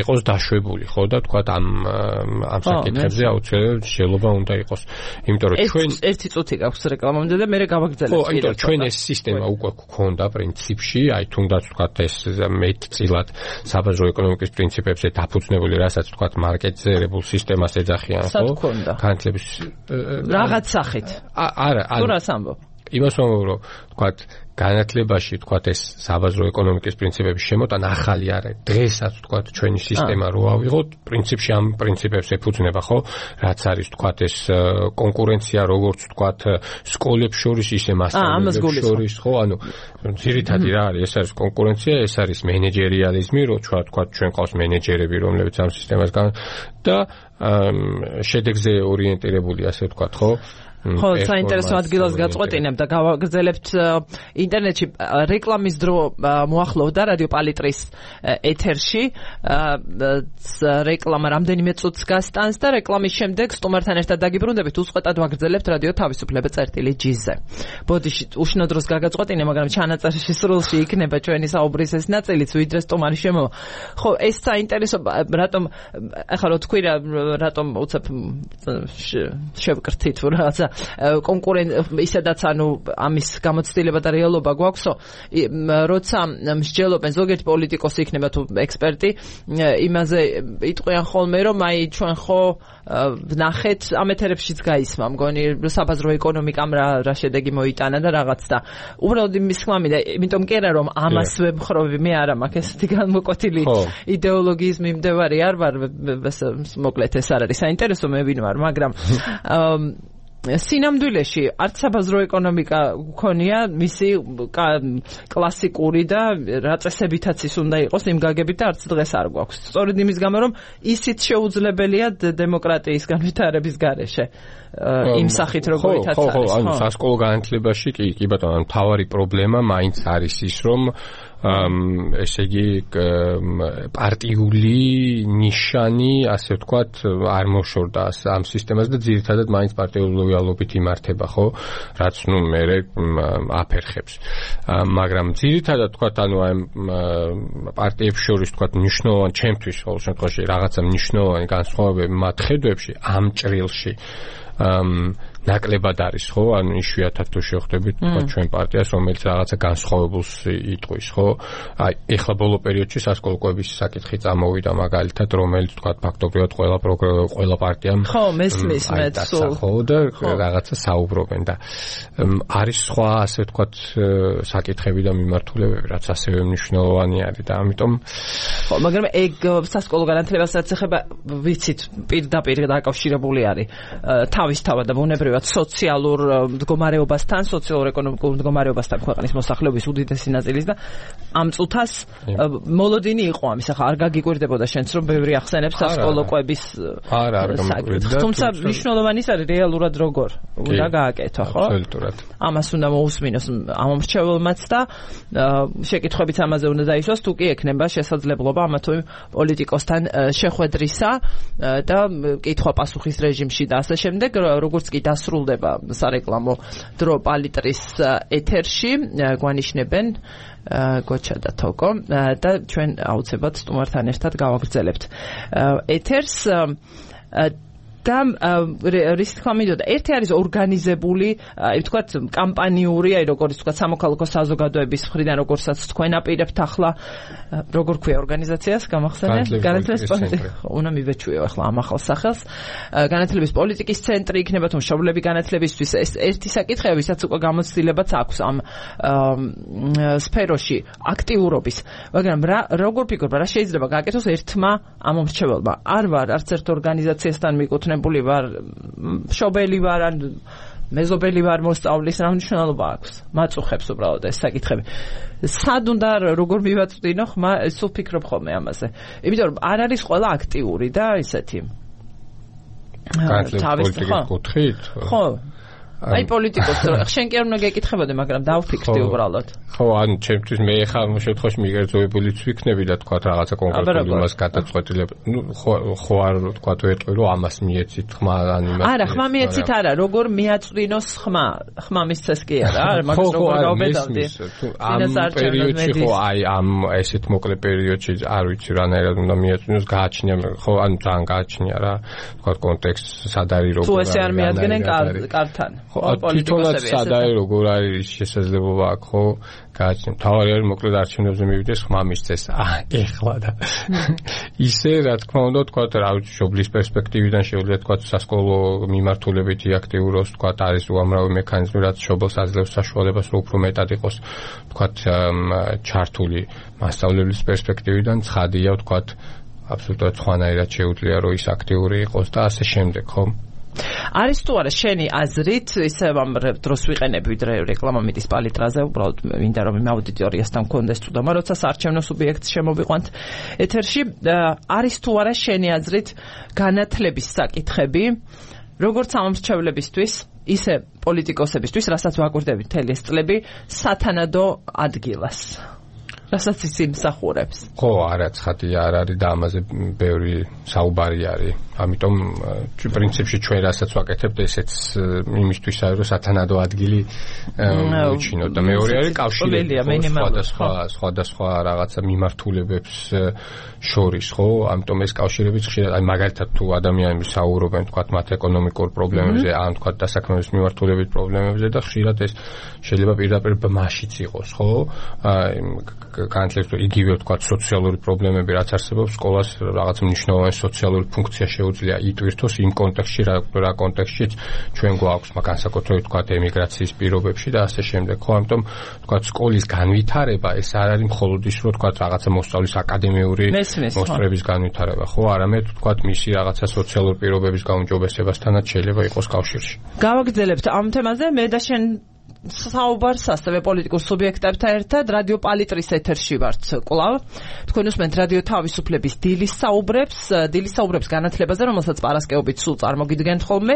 იყოს დაშვებული ხო და თქვათ ამ ამ საკითხებზე აუცილებლად შეიძლება უნდა იყოს იმიტომ რომ ჩვენ ერთი წუთი გაქვს რეკლამამდე და მე გავაგრძელებ ხო იმიტომ ჩვენ ეს სისტემა უკვე გქონდა პრინციპში აი თუნდაც თქვათ ეს მეტწილად საბაზრო ეკონომიკის პრინციპებზე დაფუძნებული რასაც თქვათ მარკეტზე ერებულ სისტემას ეძახიან ხო განათლების რაღაც სახით არა თუ რას ამბობ იმას ვამბობ, რომ თქვათ განათლებაში თქვათ ეს საბაზრო ეკონომიკის პრინციპების შემოტანა ახალი არ არის. დღესაც თქვათ ჩვენი სისტემა რო ავიღოთ, პრინციპში ამ პრინციპებს ეფუძნება, ხო? რაც არის თქვათ ეს კონკურენცია, როგორც თქვათ სკოლებს შორის, ისე მასწავლებლებს შორის, ხო? ანუ ძირითადი რა არის? ეს არის კონკურენცია, ეს არის მენეჯერიალიზმი, რო თქვათ ჩვენ ყავს მენეჯერები, რომლებიც ამ სისტემას გან და შედეგზე ორიენტირებული, ასე ვთქვათ, ხო? ხო, საინტერესო ადგილას გაწყვეტინებ და გავაგრძელებთ ინტერნეტში რეკლამის დრო მოახლოვდა რადიო პალიტრის ეთერში. რეკლამა რამდენიმე წუთს გასტანს და რეკლამის შემდეგ სტუმართან ერთად დაგიბრუნდებით, უწყვეტად ვაგრძელებთ რადიო თავისუფლება წერტილი ჯი-ზე. ბოდიში უშნო დროს გაგაწყვეტინე, მაგრამ ჩანაწერში სრულში იქნება ჩვენი საუბრის ეს ნაწილიც, ვიდრე სტუმარი შემოვა. ხო, ეს საინტერესო, რატომ ახლა რო თქვი რა, რატომ უცებ შევკრთით რაღაცა კონკურენ ისედაც ანუ ამის გამოცდილება და რეალობა გვაქვსო, როცა მსჯელობენ ზოგიერთი პოლიტიკოსი იქნება თუ ექსპერტი, იმაზე იტყვიან ხოლმე, რომ აი ჩვენ ხო ვნახეთ ამ ეთერებშიც გაისმა, მგონი საბაზრო ეკონომიკამ რა რა შედეგი მოიტანა და რაღაც და უბრალოდ იმის ხმამი და იმიტომ კი არა რომ ამას ვემხრობი, მე არა მაქვს ესეთი განმოკვეთილი იდეოლოგიის მიმდევარი არ ვარ, მოკლედ ეს არ არის საინტერესო, მე ვინ ვარ, მაგრამ სინამდვილეში არც საბაზრო ეკონომიკა გქონია მისი კლასიკური და რა წესებითაც ის უნდა იყოს იმ გაგებით და არც დღეს არ გვაქვს. სწორედ იმის გამო რომ ისიც შეუძლებელია დემოკრატიის განვითარების გარეშე იმ სახით როგორიც არის. ხო, ხო, ანუ სასკოლო განათლებაში კი, კი ბატონო, მთავარი პრობლემა მაინც არის ის, რომ ესე იგი პარტიული ნიშანი, ასე ვთქვათ, არ მოშორდა ამ სისტემას და ძირითადად მაინც პარტიული ლოიალობით იმართება, ხო? რაც ნუ მერე აფერხებს. მაგრამ ძირითადად ვთქვათ, ანუ აი პარტიებს შორის ვთქვათ, მნიშვნელოვანი ჩემთვის ყოველ შემთხვევაში რაღაცა მნიშვნელოვანი განსხვავებები მათ ხედვებში ამ ჭრილში ნაკლებად არის, ხო? ანუ იშვიათად თუ შევხვდებით თქვა ჩვენ პარტიას, რომელიც რაღაცა განსხვავებულს იტყვის, ხო? აი, ეხლა ბოლო პერიოდში სასკოლო კვების საკითხი წამოვიდა მაგალითად, რომელიც თქვა ფაქტობრივად ყველა ყველა პარტიამ ხო, მესმის მეც სულ ხო და რაღაცა საუბრობენ და არის სხვა, ასე ვთქვათ, საკითხები და მიმართულებები, რაც ასევე მნიშვნელოვანი არის და ამიტომ ხო, მაგრამ ეგ სასკოლო განათლებასაც ეხება, ვიცით, პირდაპირ დაკავშირებული არის თავისთავად და ბუნებრივად სოციალურ მდგომარეობასთან, სოციალურ-ეკონომიკურ მდგომარეობასთან ქვეყნის მოსახლეობის უდიდესი ნაწილის და ამ წუთას მოლოდინი იყო ამის. ახლა არ გაგიკვირდებოდა შენც რომ ბევრი ახსენებს სასკოლო კვების არა არ გამიკვირდა. თუმცა მნიშვნელოვანი ის არის რეალურად როგორ უნდა გააკეთო, ხო? აბსოლუტურად. ამას უნდა მოусმინოს ამ მრჩეველმაც და შეკითხვებიც ამაზე უნდა დაისვას, თუ კი ექნება შესაძლებლობა ამა თუ იმ პოლიტიკოსთან შეხვედრისა და კითხვა-პასუხის რეჟიმში და ასე შემდეგ, როგორც კი დასრულდება სარეკლამო დრო პალიტრის ეთერში, გვანიშნებენ გოჩა და თოკო და ჩვენ აუცილებლად სტუმართან ერთად გავაგრძელებთ ეთერს და რის თქმა მინდოდა, ერთი არის ორგანიზებული, აი ვთქვათ, კამპანიური, აი როგორც ვთქვათ, სამოქალაქო საზოგადოების მხრიდან, როგორცაც თქვენ აპირებთ ახლა, როგორ ქვია ორგანიზაციას, გამახსენე? განათლების პოლიტიკის, უნდა მივეჩვიო ახლა ამ ახალ სახელს. განათლების პოლიტიკის ცენტრი იქნება თუ მშობლები განათლებისთვის, ეს ერთი საკითხია, ვისაც უკვე გამოცდილებაც აქვს ამ სფეროში აქტიურობის. მაგრამ რა როგორ ფიქრობ, რა შეიძლება გააკეთოს ერთმა ამ მომრჩეველმა? არ ვარ არც ერთ ორგანიზაციასთან მიკუთვნებული ნებული ვარ, მშობელი ვარ, ან მეზობელი ვარ მოსწავლის, რა მნიშვნელობა აქვს? მაწუხებს უბრალოდ ეს საკითხები. სად უნდა როგორ მივაწვდინო, ხმა სულ ფიქრობ ხოლმე ამაზე. იმიტომ რომ არ არის ყველა აქტიური და ისეთი. განათლების კუთხით? ხო. აი პოლიტიკოსს შენ კი არ უნდა გეკითხებოდე, მაგრამ დავფიქრდი უბრალოდ. ხო, ანუ ჩემთვის მე ხა ამ შემთხვევაში მიგერძოებულიც ვიქნები და თქვა რაღაცა კონკრეტული იმას გადაწყვეტილება. ნუ ხო ხო არ თქვა ვეტყვი რომ ამას მიეცით ხმა ან იმას. არა, ხმა მიეცით არა, როგორ მიაწვდინოს ხმა? ხმა მისცეს კი არა, არა, მაგას როგორ გავბედავდი. ამ პერიოდში ხო აი ამ ესეთ მოკლე პერიოდში არ ვიცი რანაირად უნდა მიაწვდინოს, გააჩნია ხო, ანუ ძალიან გააჩნია რა. თქვა კონტექსტ სად არის როგორ არის. თუ ესე არ მიადგენენ კართან. თვითონაც სადაა როგორ არის შესაძლებლობა აქ ხო გააჩნია თავარი არის მოკლედ არჩევნებზე მივიდეს ხმა მისცეს აა ეხლა და ისე რა თქმა უნდა თქვა რა ვიცი შობლის პერსპექტივიდან შეუძლია თქვა სასკოლო მიმართულებითი აქტიურობს თქვა არის უამრავი მექანიზმი რაც შობელს აძლევს საშუალებას რომ უფრო მეტად იყოს თქვა ჩართული მასწავლებლის პერსპექტივიდან ცხადია თქვა აბსოლუტურად სხვანაირად შეუძლია რომ ის აქტიური იყოს და ასე შემდეგ ხო არის თუ არა შენი აზრით ისე ამ დროს ვიყენებ ვიდრე რეკლამა მიდის პალიტრაზე უბრალოდ მინდა რომ იმ აუდიტორიასთან მქონდეს თუდამა როცა საარჩევნო სუბიექტს შემოვიყვანთ ეთერში არის თუ არა შენი აზრით განათლების საკითხები როგორც ამომრჩევლებისთვის ისე პოლიტიკოსებისთვის რასაც ვაკვირდებით მთელი ეს წლები სათანადო ადგილას რასაც ისინი მსახურებს ხო არა ცხადია არ არის და ამაზე ბევრი საუბარი არის ამიტომ პრინციპში ჩვენ რასაც ვაკეთებთ ესეც იმისთვის არის რომ სათანადო ადგილი უჩინოთ და მეორე არის კავშირები სხვადასხვა სხვადასხვა რაღაცა მიმართულებებს შორის ხო ამიტომ ეს კავშირებიც ხშირად აი მაგალითად თუ ადამიანები საუბრობენ თქვათ მათ ეკონომიკურ პრობლემებზე ან თქვათ დასაქმების მიმართულებით პრობლემებზე და ხშირად ეს შეიძლება პირდაპირ ბმაშიც იყოს ხო განათლების იგივე თქვათ სოციალური პრობლემები რაც არსებობს სკოლას რაღაც მნიშვნელოვანი სოციალური ფუნქცია შეუძლია იტვირთოს იმ კონტექსტში რა რა კონტექსტშიც ჩვენ გვაქვს განსაკუთრებით თქვათ ემიგრაციის პირობებში და ასე შემდეგ ხო ამიტომ თქვათ სკოლის განვითარება ეს არ არის მხოლოდ ის რომ თქვათ რაღაცა მოსწავლის აკადემიური მოსწრების განვითარება ხო არამედ თქვათ მისი რაღაცა სოციალური პირობების გაუმჯობესებასთანაც შეიძლება იყოს კავშირში გავაგრძელებთ ამ თემაზე მე და შენ საუბარს ასევე პოლიტიკურ სუბიექტებთან ერთად რადიო პალიტრის ეთერში ვართ კვლავ თქვენ უსმენთ რადიო თავისუფლების დილის საუბრებს დილის საუბრებს განათლებაზე რომელსაც პარასკევობით სულ წარმოგიდგენთ ხოლმე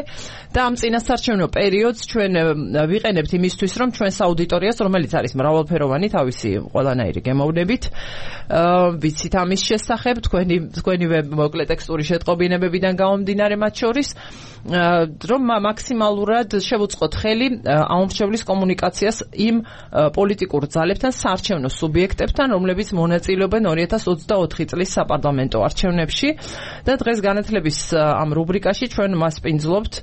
და ამ წინასაარჩევნო პერიოდს ჩვენ ვიყენებთ იმისთვის რომ ჩვენს აუდიტორიას რომელიც არის მრავალფეროვანი თავისი ყველანაირი გემოვნებით ვიცით ამის შესახებ თქვენი თქვენივე მოკლე ტექსტური შეტყობინებებიდან გამომდინარე მათ შორის რომ მაქსიმალურად შევუწყოთ ხელი აუმრჩევლის კომუნიკაციას იმ პოლიტიკურ ძალებთან, საარჩევნო სუბიექტებთან, რომლებიც მონაწილეობენ ორი ათას ოცდაოთხი წლის საპარლამენტო არჩევნებში და დღეს განათლების ამ რუბრიკაში ჩვენ მასპინძლობთ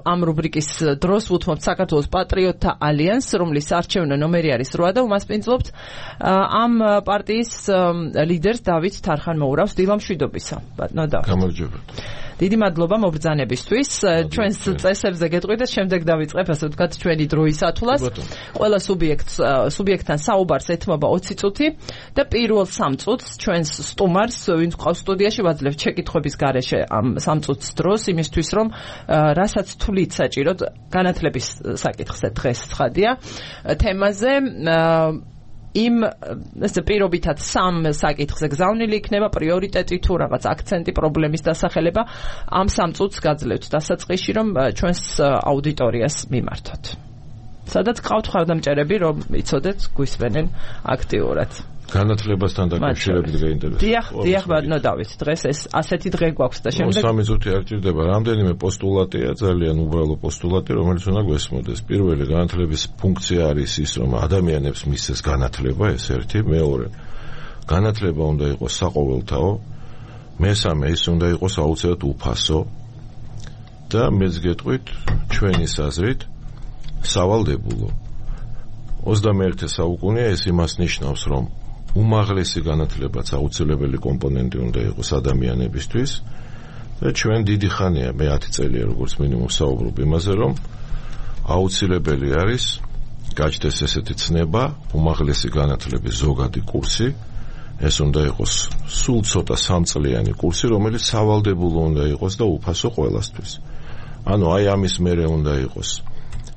ამ რუბრიკის დროს ვუთმობთ საქართველოს პატრიოტთა ალიანსს, რომლის საარჩევნო ნომერი არის რვა და უმასპინძლობთ ამ პარტიის ლიდერს დავით თარხან-მოურავს დილამშვიდობისა. ბატონო დავით. გამარჯობა. დიდი მადლობა მობრძანებისთვის. ჩვენს წესებზე გეტყვით და შემდეგ დავიწყებ ასე ვთქვათ ჩვენი დროის ათვლას. ყველა სუბიექტს სუბიექტთან საუბარს ეთმობა ოცი წუთი და პირველ სამ წუთს ჩვენს სტუმარს ვინც ყავს სტუდიაში ვაძლევთ შეკითხვების გარეშე ამ სამ წუთს დროს იმისთვის რომ რასაც თვლით საჭიროდ განათლების საკითხზე დღეს ცხადია თემაზე იმ ესე პირობითად სამ საკითხზე გზავნილი იქნება პრიორიტეტი თუ რაღაც აქცენტი პრობლემის დასახელება ამ სამ წუთს გაძლევთ დასაწყისში რომ ჩვენს აუდიტორიას მიმართოთ. სადაც ყავთ ხარდამჭერები რომ იცოდეთ გვისმენენ აქტიურად. განათლებასთან დაკავშირებით გაინტერესებს. დიახ, დიახ, ბატონო დავით, დღეს ეს ასეთი დღე გვაქვს და შემდეგ სამი წუთი არ ჭირდება. რამდენიმე პოსტულატია, ძალიან უბრალო პოსტულატი, რომელიც უნდა გვესმოდეს. პირველი, განათლების ფუნქცია არის ის, რომ ადამიანებს მისცეს განათლება, ეს ერთი, მეორე. განათლება უნდა იყოს საყოველთაო. მესამე, ის უნდა იყოს აუცილებლად უფასო. და მეც გეტყვით, ჩვენი აზრით, სავალდებულო. ოცდამეერთე საუკუნეა ეს იმას ნიშნავს, რომ უმაღლესი განათლებაც აუცილებელი კომპონენტი უნდა იყოს ადამიანებისთვის და ჩვენ დიდი ხანია მე ათი წელია როგორც მინიმუმ საუბრობ იმაზე რომ აუცილებელი არის გაჩნდეს ესეთი ცნება უმაღლესი განათლების ზოგადი კურსი ეს უნდა იყოს სულ ცოტა სამწლიანი კურსი რომელიც სავალდებულო უნდა იყოს და უფასო ყველასთვის ანუ აი ამის მერე უნდა იყოს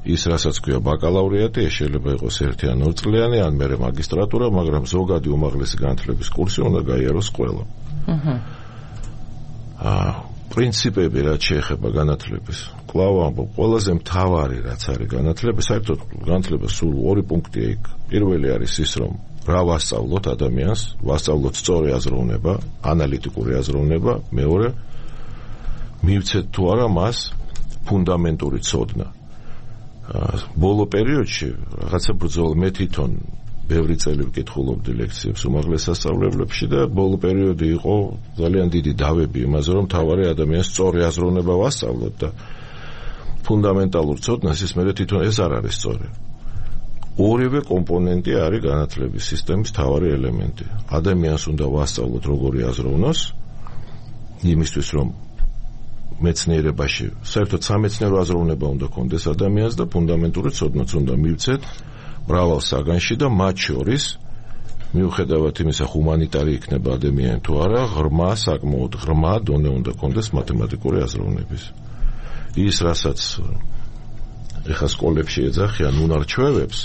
ის რასაც ქვია ბაკალავრიატი, ეს შეიძლება იყოს ერთი ან ორი წლიანი, ან მერე მაგისტრატურა, მაგრამ ზოგადი უმაღლესი განათლების კურსი უნდა გაიაროს ყველა. აჰა. აა, პრინციპები რაც შეეხება განათლების. კვლავ ამბობ, ყველაზე მთავარი რაც არის განათლება, საერთოდ განათლება სულ ორი პუნქტია იქ. პირველი არის ის, რომ რა ვასწავლოთ ადამიანს, ვასწავლოთ სწორი აზროვნება, ანალიტიკური აზროვნება, მეორე მივცეთ თუ არა მას ფუნდამენტური ცოდნა. ბოლო პერიოდში რაღაცა ბრძოლა მე თვითონ ბევრი წელი ვკითხულობდი ლექციებს უმაღლეს სასწავლებლებში და ბოლო პერიოდი იყო ძალიან დიდი დავები იმაზე რომ თავარი ადამიანს სწორი აზროვნება ვასწავლოთ და ფუნდამენტალურ ცოდნას, ის მე თვითონ ეს არ არის სწორი. ორივე კომპონენტი არის განათლების სისტემის მთავარი ელემენტი. ადამიანს უნდა ვასწავლოთ როგორი აზროვნოს, იმისთვის რომ მეცნიერებაში, საერთოდ სამეცნიერო აზროვნება უნდა კონდეს ადამიანს და ფუნდამენტური ცოდნაც უნდა მივცეთ მრავალ საგანში და მათ შორის მიუხედავად იმისა, ჰუმანიტარი იქნება ადამიანი თუ არა, ღრმა, საკმაოდ ღრმა დონე უნდა კონდეს მათემატიკური აზროვნების. ის, რასაც ეხლა სკოლებში ეძახიან უნარჩვევებს,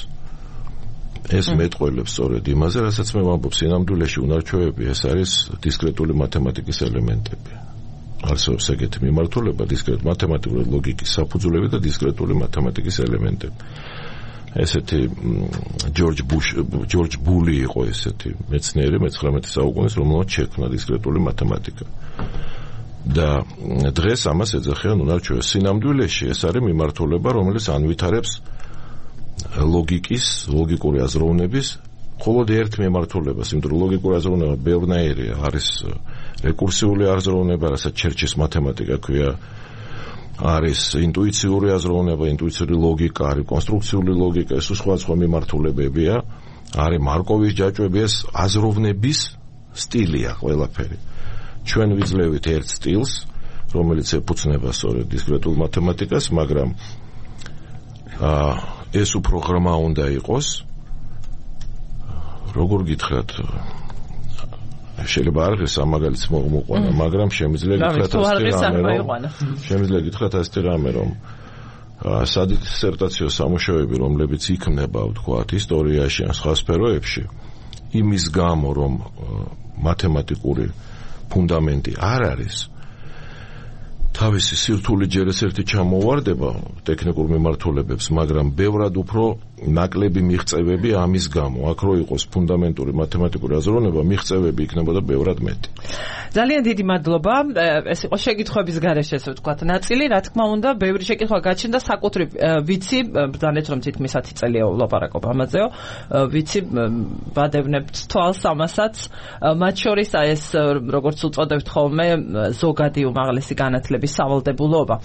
ეს მეტყველებს სწორედ იმაზე, რასაც მე ვამბობ, სინამდვილეში უნარჩვევები, ეს არის დისკრეტული მათემატიკის ელემენტები. არსებობს ეგეთი მიმართულება, დისკრეტული მათემატიკური ლოგიკის საფუძვლები და დისკრეტული მათემატიკის ელემენტები. ესეთი ჯორჯ ბუშ ჯორჯ ბული იყო ესეთი მეცნიერი მეცხრამეტე საუკუნის, რომელმაც შექმნა დისკრეტული მათემატიკა. და დღეს ამას ეძახიან უნარჩვევებს. სინამდვილეში ეს არის მიმართულება, რომელიც ანვითარებს ლოგიკის, ლოგიკური აზროვნების მხოლოდ ერთ მიმართულებას, იმიტომ რომ ლოგიკური აზროვნება ბევრნაირია, არის რეკურსიული აზროვნება, რასაც ჩერჩის მათემატიკა ქვია, არის ინტუიციური აზროვნება, ინტუიციური ლოგიკა, არის კონსტრუქციული ლოგიკა, ეს სხვა სხვა მიმართულებებია, არის მარკოვის ჯაჭვები, ეს აზროვნების სტილია ყველაფერი. ჩვენ ვიძლევით ერთ სტილს, რომელიც ეფუძნება სწორედ დისკრეტულ მათემატიკას, მაგრამ აა ეს უფრო ღრმა უნდა იყოს. როგორ გითხრათ, შეიძლება არ ღირს ამ მაგალითს მოყვანა, მაგრამ შემიძლია გითხრათ ასეთი რამე, შემიძლია გითხრათ ასეთი რამე, რომ სადისერტაციო სამუშაოები, რომლებიც იქმნება, ვთქვათ, ისტორიაში ან სხვა სფეროებში, იმის გამო, რომ მათემატიკური ფუნდამენტი არ არის, თავისი სირთული ჯერ ეს ერთი ჩამოვარდება ტექნიკურ მიმართულებებს, მაგრამ ბევრად უფრო ნაკლები მიღწევები ამის გამო. აქ რო იყოს ფუნდამენტური მათემატიკური აზროვნება, მიღწევები იქნებოდა ბევრად მეტი. ძალიან დიდი მადლობა. ეს იყო შეკითხვების გარეშე, ესე ვთქვათ, ნაწილი, რა თქმა უნდა, ბევრი შეკითხვა გაჩნდა, საკუთრივ ვიცი, ბრძანეთ რომ თითქმის ათი წელია ვლაპარაკობ ამაზეო, ვიცი, ვადევნებთ თვალს ამასაც, მათ შორის ეს როგორც უწოდებთ ხოლმე, ზოგადი უმაღლესი განათლების სავალდებულოობა.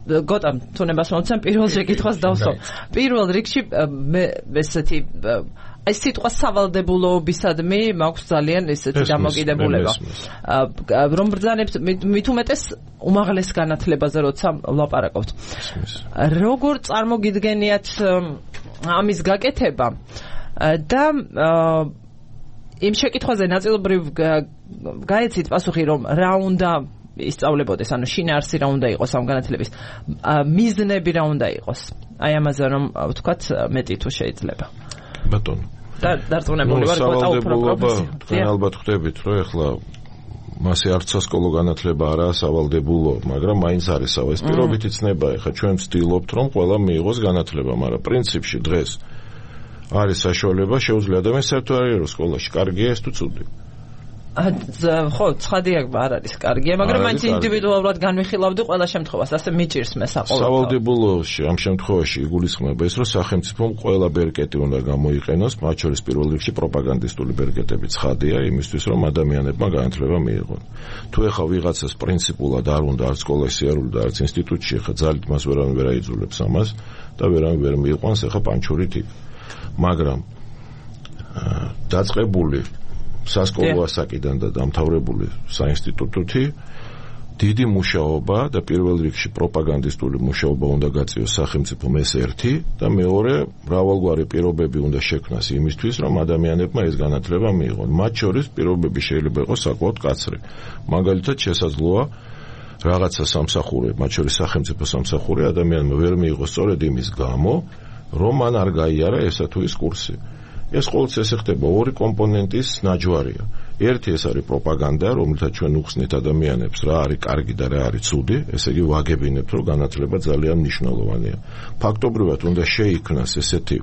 გოტამ, თუნებას მომცემ პირველ შეკითხვას დავსვამ. პირველ რიგში მე ესეთი აი სიტყვა სავალდებულოებისადმი მაქვს ძალიან ესეთი დამოკიდებულება. რომ ბრძანებთ მით უმეტეს უმაღლეს განათლებაზე როცა ვლაპარაკობთ. როგორ წარმოგიდგენიათ ამის გაკეთება და იმ შეკითხვაზე ნაწილობრივ გაეცით პასუხი, რომ რა უნდა ისწავლებოდეს, ანუ შინაარსი რა უნდა იყოს ამ განათლების, მიზნები რა უნდა იყოს. აი ამაზე რომ ვთქვათ მეტი თუ შეიძლება. ბატონო. და დარწმუნებული ვარ, გოტა უფრო პროფესია. თქვენ ალბათ ხვდებით, რომ ეხლა მასე არც სასკოლო განათლება არაა სავალდებულო, მაგრამ მაინც არის სავალ. ეს პირობითი ცნება, ეხლა ჩვენ ვცდილობთ, რომ ყველა მიიღოს განათლება, მაგრამ პრინციპში დღეს არის საშუალება, შეუძლია ადამიანს საერთოდ არ იყოს სკოლაში, კარგია ეს თუ ცუდი. ხო, ცხადია არ არის კარგია, მაგრამ მაინც ინდივიდუალურად განვიხილავდი ყველა შემთხვევას, ასე მიჭირს მე საყოველთაოდ. სავალდებულოში ამ შემთხვევაში იგულისხმება ის, რომ სახელმწიფომ ყველა ბერკეტი უნდა გამოიყენოს, მათ შორის პირველ რიგში პროპაგანდისტული ბერკეტები ცხადია, იმისთვის რომ ადამიანებმა განათლება მიიღონ. თუ ეხა ვიღაცას პრინციპულად არ უნდა არც სკოლაში სიარული და არც ინსტიტუტში, ეხა ძალით მას ვერავინ ვერ აიძულებს ამას და ვერავინ ვერ მიიყვანს ეხა პანჩური ტიპი. მაგრამ დაწყებული სასკოლო ასაკიდან და დამთავრებული საინსტიტუტოთი დიდი მუშაობა და პირველ რიგში პროპაგანდისტული მუშაობა უნდა გაწიოს სახელმწიფომ, ეს ერთი, და მეორე მრავალგვარი პირობები უნდა შექმნას იმისთვის, რომ ადამიანებმა ეს განათლება მიიღონ. მათ შორის პირობები შეიძლება იყოს საკმაოდ მკაცრი. მაგალითად, შესაძლოა რაღაცა სამსახური, მათ შორის სახელმწიფო სამსახური ადამიანმა ვერ მიიღოს სწორედ იმის გამო, რომ მან არ გაიარა ესა თუ ის კურსი. ეს ყოველთვის ესე ხდება, ორი კომპონენტის ნაჯვარია. ერთი ეს არის პროპაგანდა, რომელთაც ჩვენ უხსნით ადამიანებს რა არის კარგი და რა არის ცუდი, ესე იგი ვაგებინებთ, რომ განათლება ძალიან მნიშვნელოვანია. ფაქტობრივად უნდა შეიქმნას ესეთი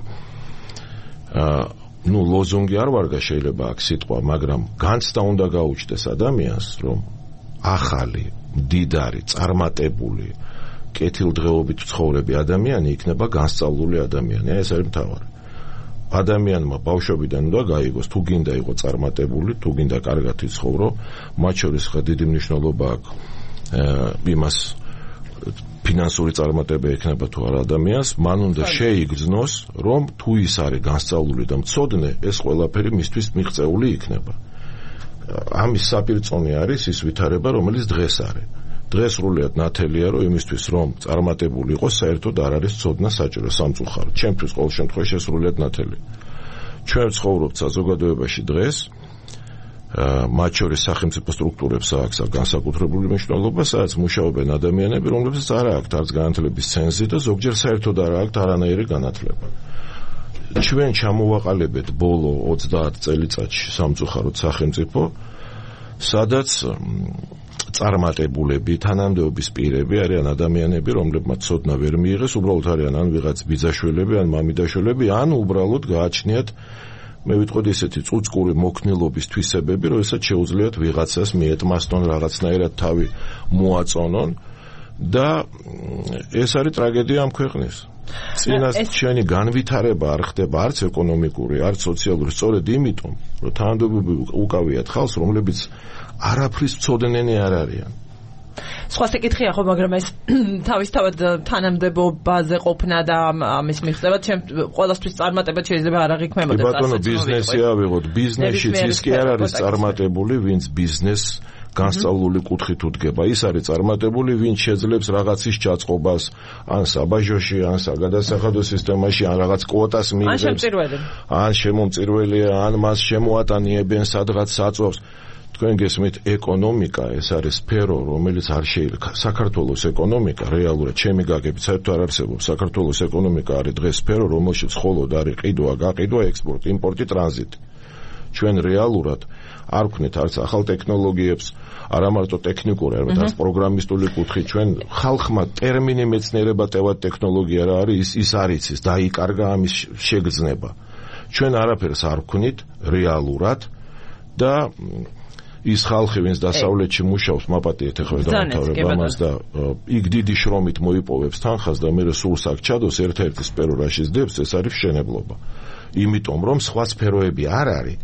აა ნუ ლოზუნგი არ ვარგა შეიძლება აქ სიტყვა, მაგრამ განცდა უნდა გაუჩნდეს ადამიანს, რომ ახალი, მდიდარი, წარმატებული, კეთილდღეობით ცხოვრები ადამიანი იქნება განსწავლული ადამიანი. ეს არის მთავარი. ადამიანმა ბავშვობიდან უნდა გაიგოს, თუ გინდა იყოს წარმატებული, თუ გინდა კარგად იცხოვრო, მათ შორის ხა დიდი მნიშვნელობა აქვს იმას ფინანსური წარმატება ექნება თუ არა ადამიანს, მან უნდა შეიგრძნოს, რომ თუ ის არის განსწავლული და მცოდნე, ეს ყველაფერი მისთვის მიღწეული იქნება. ამის საპირწონე არის ის ვითარება, რომელიც დღეს არის. დღეს სრულიად ნათელია, რომ იმისთვის, რომ წარმატებული იყოს, საერთოდ არ არის ცოდნა საჭირო სამწუხარო. ჩემთვის ყოველ შემთხვევაში სრულიად ნათელი. ჩვენ ცხოვრობთ საზოგადოებაში დღეს, მათ შორის სახელმწიფო სტრუქტურებს აქვს განსაკუთრებული მნიშვნელობა, სადაც მუშაობენ ადამიანები, რომლებსაც არ აქვთ არც განათლების ცენზი და ზოგჯერ საერთოდ არ აქვთ არანაირი განათლება. ჩვენ ჩამოვაყალიბეთ ბოლო ოცდაათ წელიწადში სამწუხაროდ სახელმწიფო, სადაც წარმატებულები, თანამდებობის პირები არიან ადამიანები, რომლებმაც ცოდნა ვერ მიიღეს, უბრალოდ არიან ან ვიღაც ბიძაშვილები, ან მამიდაშვილები, ან უბრალოდ გააჩნიათ მე ვიტყოდი ესეთი წუწკური მოქნილობის თვისებები, რომ ესაც შეუძლიათ ვიღაცას მიეთმასწონ რაღაცნაირად თავი მოაწონონ და ეს არის ტრაგედია ამ ქვეყნის. წინას ჩვენი განვითარება არ ხდება არც ეკონომიკური, არც სოციალური, სწორედ იმიტომ, რომ თანამდებობები უკავიათ ხალხს, რომლებიც არაფრის მცოდნენი არ არიან. სხვა საკითხია ხო, მაგრამ ეს თავისთავად თანამდებობაზე ყოფნა და ამის მიღწევა ჩემ ყველასთვის წარმატება შეიძლება არ აღიქმებოდეს. კი ბატონო, ბიზნესი ავიღოთ, ბიზნესშიც ის კი არ არის წარმატებული, ვინც ბიზნესს განსწავლული კუთხით უდგება. ის არის წარმატებული, ვინც შეძლებს რაღაცის ჩაწყობას, ან საბაჟოში, ან საგადასახადო სისტემაში, ან რაღაც კვოტას მიიღებს. ან შემწირველი. ან შემომწირველია, ან მას შემოატანიებენ სადღაც საწვავს. თქვენ გესმით, ეკონომიკა ეს არის სფერო, რომელიც არ შეიძლება. საქართველოს ეკონომიკა რეალურად ჩემი გაგებით საერთოდ არ არსებობს. საქართველოს ეკონომიკა არის დღეს სფერო, რომელშიც მხოლოდ არის ყიდვა, გაყიდვა, ექსპორტი, იმპორტი, ტრანზიტი. ჩვენ რეალურად არ ვქნით არც ახალ ტექნოლოგიებს, არა მარტო ტექნიკური, არამედ არც პროგრამისტული კუთხით. ჩვენ ხალხმა ტერმინი მეცნიერება, ტევად ტექნოლოგია რა არის, ის ის არ იცის, დაიკარგა ამის შეგრძნება. ჩვენ არაფერს არ ვქნით რეალურად და ის ხალხი, ვინც დასავლეთში მუშაობს, მაპატიეთ ახლა დამთავრება ამას და იქ დიდი შრომით მოიპოვებს თანხას და მერე სულს აქ ჩადოს ერთ-ერთი სფერო რა შეძდებს, ეს არის მშენებლობა. იმიტომ რომ სხვა სფეროები არ არის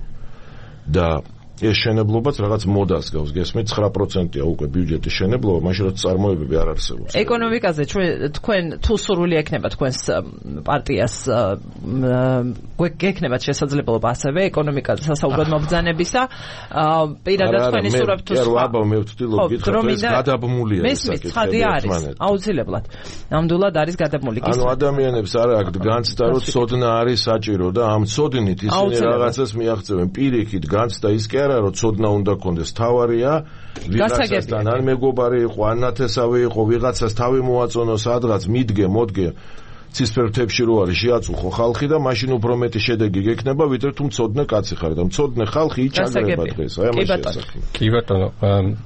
და ეს შენებლობაც რაღაც მოდას გავს, გესმით, ცხრა პროცენტია უკვე ბიუჯეტის შენებლობა, მაშინ რომ წარმოებები არ არსებობს. ეკონომიკაზე თქვენ თუ სურვილი ექნება თქვენს პარტიას გექნებათ შესაძლებლობა ასევე ეკონომიკაზე სასაუბრად მობრძანებისა, პირადად თქვენი სურვილი თუ სხვა. აბა მე ვთვლილობ გითხრათ, ეს გადაბმულია ეს საკითხი. მესმის ცხადი არის, აუცილებლად. ნამდვილად არის გადაბმული. ანუ ადამიანებს არ აქვს განცდა, რომ ცოდნა არის საჭირო და ამ ცოდნით ისინი რაღაცას მიაღწევენ. პირიქით განცდა ის კი არა, რომ ცოდნა უნდა კონდეს, თავარია ვიღაცასთან ან მეგობარი იყო, ან ნათესავი იყო, ვიღაცას თავი მოაწონო სადღაც, მიდგე, მოდგე ცისფერთებში რო არის შეაწუხო ხალხი და მაშინ უფრო მეტი შედეგი გექნება, ვიდრე თუ მცოდნე კაცი ხარ და მცოდნე ხალხი იჩაგრება დღეს. აი ამაში ასაკი. კი ბატონო,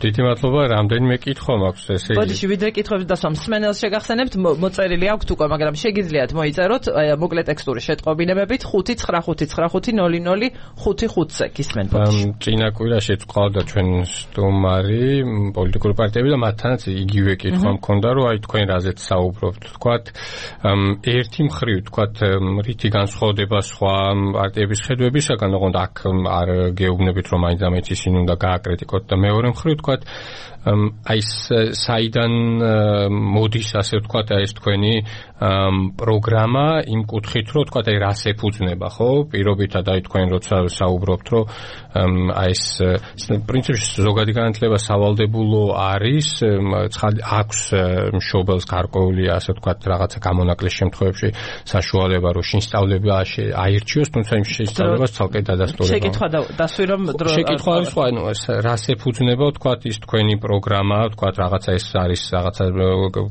დიდი მადლობა, რამდენიმე კითხვა მაქვს ესე იგი. ბოდიში ვიდრე კითხვების დასვამ მსმენელს შეგახსენებთ, მოწერილი აქვთ უკვე, მაგრამ შეგიძლიათ მოიწეროთ მოკლე ტექსტური შეტყობინებებით ხუთი ცხრა ხუთი ცხრა ხუთი ნული ნული ხუთი ხუთზე გისმენთ ბოდიში. წინა კვირაში წყვავდა ჩვენ სტუმარი პოლიტიკური პარტიები და მათთანაც იგივე კითხვა მქონდა, რომ აი თქვენ რაზეც საუბრობთ, თქვათ ერთი მხრივ თქვათ რითი განსხვავდება სხვა პარტიების ხედვებისაგან, ოღონდ აქ არ გეუბნებით რომ მაინც ამით ისინი უნდა გააკრიტიკოთ და მეორე მხრივ თქვათ აი საიდან მოდის ასე ვთქვათ ეს თქვენი პროგრამა იმ კუთხით რომ ვთქვათ აი რას ეფუძნება, ხო? პირობითად აი თქვენ როცა საუბრობთ რომ აი ეს პრინციპში ზოგადი განათლება სავალდებულო არის, აქვს მშობელს გარკვეული ასე ვთქვათ რაღაცა გამონაკლისის შემთხვევებში საშუალება რომ შინსწავლება აირჩიოს, თუმცა იმ შინსწავლებას ცალკე დადასტურება. შეკითხვა დასვი რომ დრო შეკითხვა არის სხვა, ანუ რას ეფუძნება ვთქვათ ის თქვენი პროგრამა, ვთქვათ რაღაცა ეს არის რაღაცა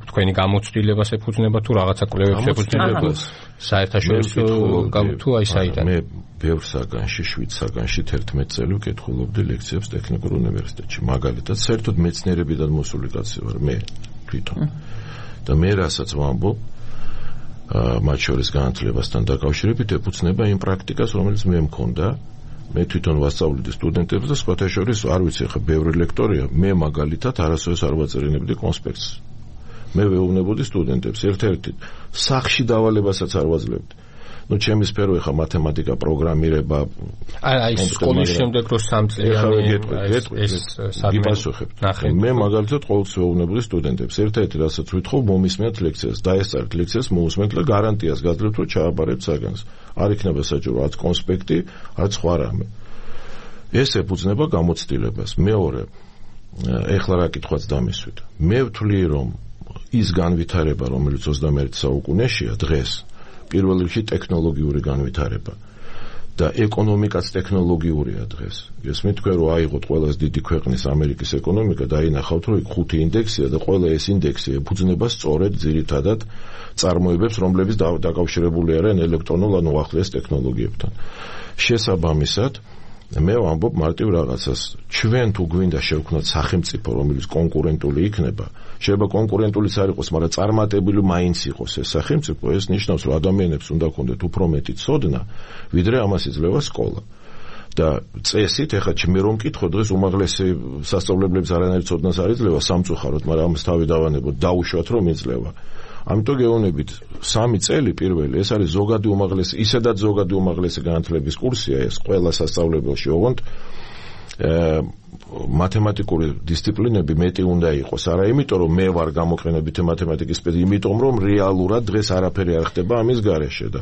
თქვენი გამოცდილებას ეფუძნება თუ რაღაცა კვლევებს ეფუძნება საერთაშორისო თუ აი საიდან. მე ბევრ საგანში, შვიდ საგანში თერთმეტ წელი ვკითხულობდი ლექციებს ტექნიკურ უნივერსიტეტში, მაგალითად საერთოდ მეცნიერებიდან მოსული კაცი ვარ მე თვითონ. და მე რასაც ვამბობ მათ შორის განათლებასთან დაკავშირებით ეფუძნება იმ პრაქტიკას, რომელიც მე მქონდა. მე თვითონ ვასწავლედი სტუდენტებს და სხვათა შორის არ ვიცი ხა ბევრი ლექტორია, მე მაგალითად არასოდეს არ ვაწერინებდი კონსპექტს. მე ვეუბნებოდი სტუდენტებს ერთ-ერთი სახში დავალებასაც არ ვაძლევდი. ნუ ჩემი სფერო ეხა მათემატიკა, პროგრამირება. აი სკოლის შემდეგ რო სამწლიანი ეს გიპასუხებთ. მე მაგალითად ყოველწლიურად სტუდენტებს ერთ-ერთი რასაც ვითხოვ მომისმენთ ლექციას, დაესწრეთ ლექციას, მოусმენთ და გარანტიას გაძლევთ რომ ჩააბარებთ საგანს. არ იქნება საჭირო არც კონსპექტი, არც სხვა რამე. ეს ეფუძნება გამოცდილებას. მეორე, ეხლა რა კითხვაც დამისვით. მე ვთვლი რომ ის განვითარება, რომელიც ოცდამეერთე საუკუნეშია დღეს, პირველ რიგში ტექნოლოგიური განვითარება და ეკონომიკაც ტექნოლოგიურია დღეს. გესმით თქვენ რომ აიღოთ ყველას დიდი ქვეყნის ამერიკის ეკონომიკა და აინახავთ რომ იქ ხუთი ინდექსია და ყველა ეს ინდექსი ეფუძნება სწორედ ძირითადად წარმოებებს, რომლებიც დაკავშირებული არიან ელექტრონულ ან უახლოეს ტექნოლოგიებთან. შესაბამისად მე ვამბობ მარტივ რაღაცას. ჩვენ თუ გვინდა შევქმნათ სახელმწიფო, რომელიც კონკურენტული იქნება, შეიძლება კონკურენტულიც არ იყოს, მაგრამ წარმატებული მაინც იყოს ეს სახელმწიფო, ეს ნიშნავს, რომ ადამიანებს უნდა ქონდეთ უფრო მეტი ცოდნა, ვიდრე ამას იძლევა სკოლა. და წესით, ეხლა მე რომ მკითხო, დღეს უმაღლესი სასწავლებლებს არანაირ ცოდნას არ იძლევა სამწუხაროდ, მაგრამ ამას თავი დავანებოთ, დაუშვათ რომ იძლევა. ამიტომ გეუბნებით, სამი წელი პირველი, ეს არის ზოგადი უმაღლესი, ისედაც ზოგადი უმაღლესი განათლების კურსია ეს, ყველა სასწავლებელში, ოღონდ მათემატიკური დისციპლინები მეტი უნდა იყოს, არა იმიტომ რომ მე ვარ გამოყენებითი მათემატიკის სპეციალისტი, იმიტომ რომ რეალურად დღეს არაფერი არ ხდება ამის გარეშე და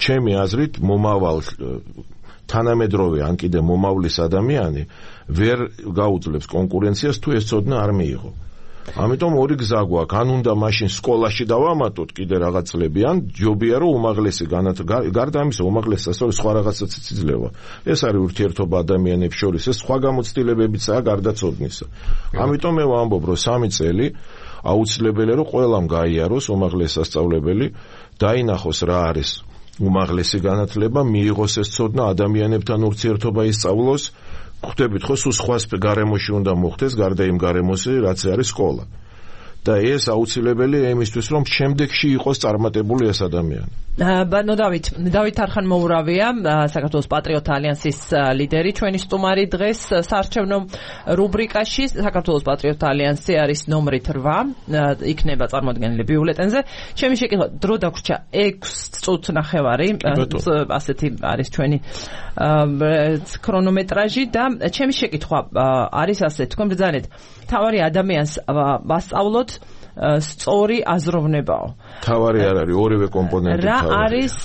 ჩემი აზრით მომავალ თანამედროვე ან კიდე მომავლის ადამიანი ვერ გაუძლებს კონკურენციას თუ ეს ცოდნა არ მიიღო. ამიტომ ორი გზა გვაქვს, ან უნდა მაშინ სკოლაში დავამატოთ კიდე რაღაც წლები, ან ჯობია რომ უმაღლესი გარდა ამისა უმაღლესი სასწავლებელი სხვა რაღაცაც იძლევა. ეს არის ურთიერთობა ადამიანებს შორის, ეს სხვა გამოცდილებებიცაა გარდა ცოდნისა. ამიტომ მე ვამბობ, რომ სამი წელი აუცილებელია რომ ყველამ გაიაროს უმაღლესი სასწავლებელი, დაინახოს რა არის უმაღლესი განათლება, მიიღოს ეს ცოდნა, ადამიანებთან ურთიერთობა ისწავლოს. ხვდებით ხო სულ სხვა გარემოში უნდა მოხდეს გარდა იმ გარემოსი რაც არის სკოლა და ეს აუცილებელია იმისთვის რომ შემდეგში იყოს წარმატებული ეს ადამიანი. ბანო დავით, დავით არხანმოურავია, საქართველოს პატრიოტთა ალიანსის ლიდერი, ჩვენი სტუმარი დღეს საარჩევნო რუბრიკაში. საქართველოს პატრიოტთა ალიანსი არის ნომრით რვა, იქნება წარმოადგენელი ბიულეტენზე. ჩემი შეკითხვა, დრო დაგვრჩა ექვს წუთი ნახევარი, ასეთი არის ჩვენი ქრონომეტრაჟი და ჩემი შეკითხვა არის ასე, თქვენ ბრძანეთ, თავარი ადამიანს ვასწავლოთ სწორი აზროვნებაო. თავარი არ არის, ორივე კომპონენტი რა არის,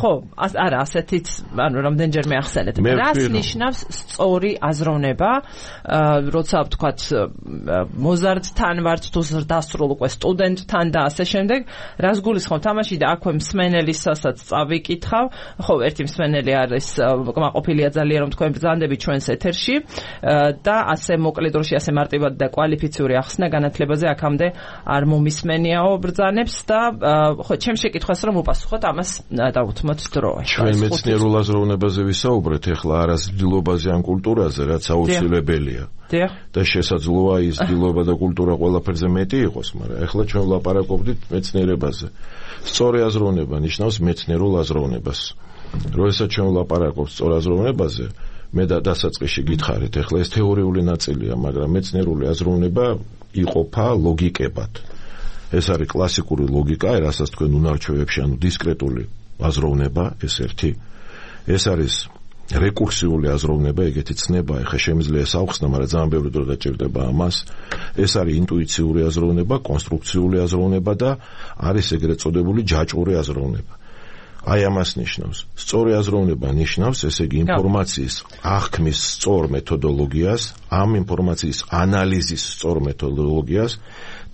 ხო, არა, ასეთიც, ანუ რამდენჯერმე ახსენეთ. რას ნიშნავს სწორი აზროვნება, როცა ვთქვათ მოზარდთან ვართ თუ დასრულ უკვე სტუდენტთან და ასე შემდეგ, რას გულისხმობთ ამაში და აქვე მსმენელისასაც წავიკითხავ, ხო, ერთი მსმენელი არის კმაყოფილია ძალიან რომ თქვენ ბრძანდებით ჩვენს ეთერში და ასე მოკლე დროში ასე მარტივად და კვალიფიციური ახსნა განათლებაზე აქამდე არ მომისმენიაო ბრძანებს და ხო ჩემს შეკითხვას რომ უპასუხოთ ამას დავუთმოთ დრო. ჩვენ მეცნიერულ აზროვნებაზე ვისაუბრეთ ახლა არასდილობაზე ან კულტურაზე რაც აუცილებელია. და შესაძლოა ის დილობა და კულტურა ყველაფერზე მეტი იყოს, მაგრამ ახლა ჩვენ ვლაპარაკობდით მეცნიერებაზე. სწორი აზროვნება ნიშნავს მეცნიერულ აზროვნებას. როდესაც ჩვენ ვლაპარაკობთ სწორ აზროვნებაზე, მე და დასაწყისში გითხარით, ახლა ეს თეორიული ნაწილია, მაგრამ მეცნიერული აზროვნება იყოფა ლოგიკებად. ეს არის კლასიკური ლოგიკა, რასაც თქვენ უნარჩვევებში, ანუ დისკრეტული აზროვნება, ეს ერთი. ეს არის რეკურსიული აზროვნება, ეგეთი ცნება, ეხა შემიძლია საუხსნა, მაგრამ ძალიან ბევრი დრო დაჭირდება ამას. ეს არის ინტუიციური აზროვნება, კონსტრუქციული აზროვნება და არის ეგრეთ წოდებული ჯაჭვური აზროვნება. აი ამას ნიშნავს. სწორი აზროვნება ნიშნავს, ესე იგი ინფორმაციის აღქმის სწორ მეთოდოლოგიას, ამ ინფორმაციის ანალიზის სწორ მეთოდოლოგიას,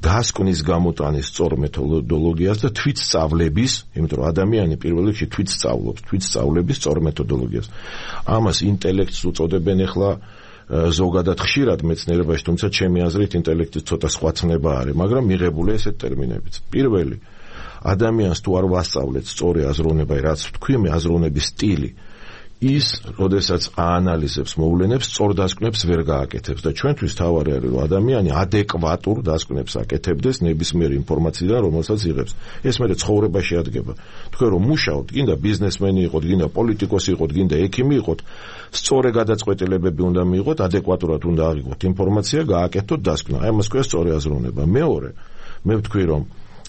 დასკვნის გამოტანის სწორ მეთოდოლოგიას და თვითსწავლების, იმიტომ რომ ადამიანი პირველ რიგში თვითსწავლობს, თვითსწავლების სწორ მეთოდოლოგიას. ამას ინტელექტს უწოდებენ ახლა ზოგადად ხშირად მეცნიერებაში, თუმცა ჩემი აზრით ინტელექტის ცოტა სხვა ცნება არის, მაგრამ მიღებულია ესეთ ტერმინებიც. პირველი ადამიანს თუ არ ვასწავლეთ სწორი აზროვნება, რაც თქვი მე აზროვნების სტილი, ის, როდესაც აანალიზებს მოვლენებს, სწორ დასკვნებს ვერ გააკეთებს და ჩვენთვის თავარი არის, რომ ადამიანი ადეკვატურ დასკვნებს აკეთებდეს ნებისმიერ ინფორმაციიდან, რომელსაც იღებს. ეს მე ცხოვრებაში ადგება. თქვენ რომ მუშაობთ, გინდა ბიზნესმენი იყოთ, გინდა პოლიტიკოსი იყოთ, გინდა ექიმი იყოთ, სწორი გადაწყვეტილებები უნდა მიიღოთ, ადეკვატურად უნდა აღიქვათ ინფორმაცია, გააკეთოთ დასკვნა. აი ამას ქვია სწორი აზროვნება. მეორე, მე ვთქვი, რომ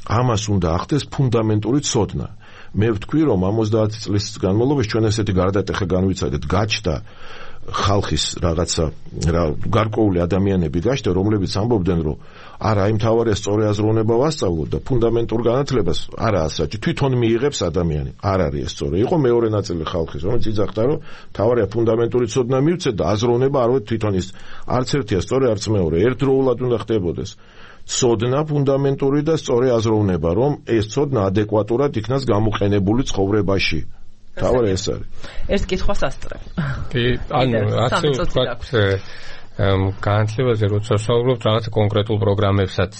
ამას უნდა ახდეს ფუნდამენტური ცოდნა. მე ვთქვი რომ ორმოცდაათი წლის განმავლობაში ჩვენ ესეთი გარდატეხა განვიცადეთ გაჩნდა ხალხის რაღაცა რა გარკვეული ადამიანები გაჩნდა რომლებიც ამბობდნენ რომ არა იმ თავარია სწორი აზროვნება ვასწავლოთ და ფუნდამენტურ განათლებას არა ასაჭი თვითონ მიიღებს ადამიანი არ არის ეს სწორი იყო მეორე ნაწილი ხალხის რომელიც იძახდა რომ თავარია ფუნდამენტური ცოდნა მივცეთ და აზროვნება არ ვეთ თვითონ ის არც ერთია სწორი არც მეორე ერთდროულად უნდა ხდებოდეს ცოდნა ფუნდამენტური და სწორი აზროვნება რომ ეს ცოდნა ადეკვატურად იქნას გამოყენებული ცხოვრებაში თავარი ეს არის ერთ კითხვას ასწრებ კი ანუ ასე ვთქვათ განათლებაზე როცა ვსაუბრობთ რაღაცა კონკრეტულ პროგრამებსაც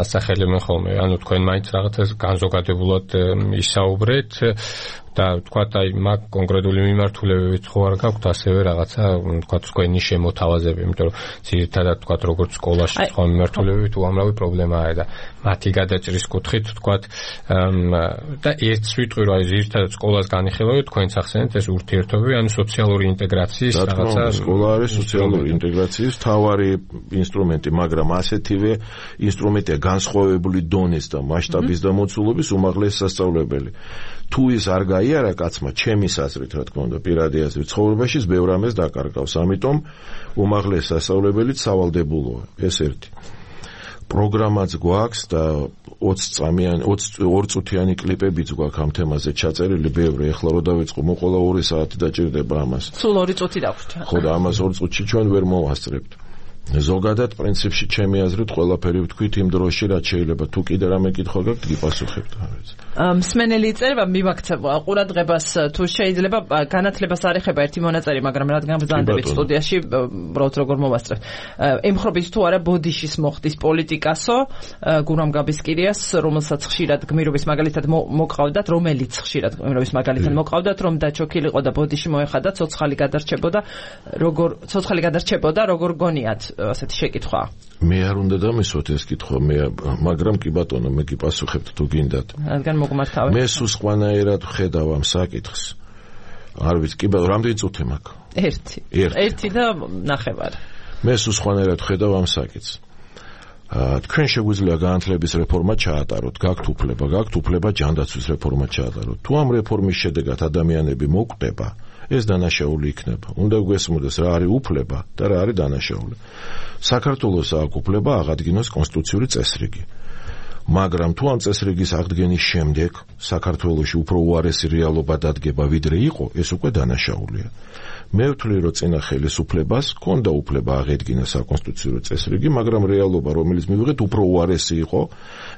ასახელებენ ხოლმე ანუ თქვენ მაინც რაღაცა განზოგადებულად ისაუბრეთ და თქვათ აი მაგ კონკრეტული მიმართულებებით ხო არ გაქვთ ასევე რაღაცა თქვათ თქვენი შემოთავაზები იმიტომ რომ ძირითადად თქვათ როგორც სკოლაში სხვა მიმართულებებით უამრავი პრობლემაა და მათი გადაჭრის კუთხით თქვათ და ერთს ვიტყვი რომ აი ძირითადად სკოლას განიხილავთ თქვენც ახსენეთ ეს ურთიერთობები ანუ სოციალური ინტეგრაციის რაღაცა სკოლა არის სოციალური ინტეგრაციის თავარი ინსტრუმენტი მაგრამ ასეთივე ინსტრუმენტია განსხვავებული დონის და მასშტაბის და მოცულობის უმაღლესი სასწავლებელი თუ ის არ გაიარა კაცმა ჩემის აზრით რა თქმა უნდა პირადი აზრით ცხოვრებაში ბევრ ამას დაკარგავს ამიტომ უმაღლესი სასწავლებელიც სავალდებულოა ეს ერთი პროგრამაც გვაქვს და ოცი წამიანი ორი წუთიანი კლიპებიც გვაქვს ამ თემაზე ჩაწერილი ბევრი ეხლა რო დავიწყო მოყოლა ორი საათი დაჭირდება ამას სულ ორი წუთი დაგვჭირდა ხო და ამას ორი წუთში ჩვენ ვერ მოვასწრებთ ზოგადად პრინციპში ჩემი აზრით ყველაფერი ვთქვით იმ დროში რაც შეიძლება თუ კიდე რამე კითხვა გაქვთ გიპასუხებთ ამაზე მსმენელი იწერება მიმაქცევ ყურადღებას თუ შეიძლება განათლებას არ ეხება ერთი მონაწერი მაგრამ რადგან ბრძანდებით სტუდიაში უბრალოდ როგორ მოვასწრებთ ემხრობით თუ არა ბოდიშის მოხდის პოლიტიკასო გურამ გაბისკირიას რომელსაც ხშირად გმირობის მაგალითად მოყავდათ რომელიც ხშირად გმირობის მაგალითად მოყავდათ რომ დაჩოქილიყო და ბოდიში მოეხადა ცოცხალი გადარჩებოდა როგორ ცოცხალი გადარჩებოდა როგორ გონიათ ასეთი შეკითხვა მე არ უნდა დამისვათ ეს კითხვა მე მაგრამ კი ბატონო მე გიპასუხებთ თუ გინდათ რადგან მოგმართავეთ მე სულ სხვანაირად ვხედავ ამ საკითხს არ ვიცი კი ბატონო რამდენი წუთი მაქვს ერთი ერთი და ნახევარი მე სულ სხვანაირად ვხედავ ამ საკითხს თქვენ შეგვიძლია განათლების რეფორმა ჩაატაროთ გაქვთ უფლება გაქვთ უფლება ჯანდაცვის რეფორმა ჩაატაროთ თუ ამ რეფორმის შედეგად ადამიანები მოკვდება ეს დანაშაული იქნება. უნდა გვესმოდეს რა არის უფლება და რა არის დანაშაული. საქართველოს აქვს უფლება აღადგინოს კონსტიტუციური წესრიგი. მაგრამ თუ ამ წესრიგის აღდგენის შემდეგ საქართველოში უფრო უარესი რეალობა დადგება ვიდრე იყო, ეს უკვე დანაშაულია. მე ვთვლი რომ წინა ხელისუფლებას ჰქონდა უფლება აღედგინა საკონსტიტუციო წესრიგი, მაგრამ რეალობა რომელიც მივიღეთ უფრო უარესი იყო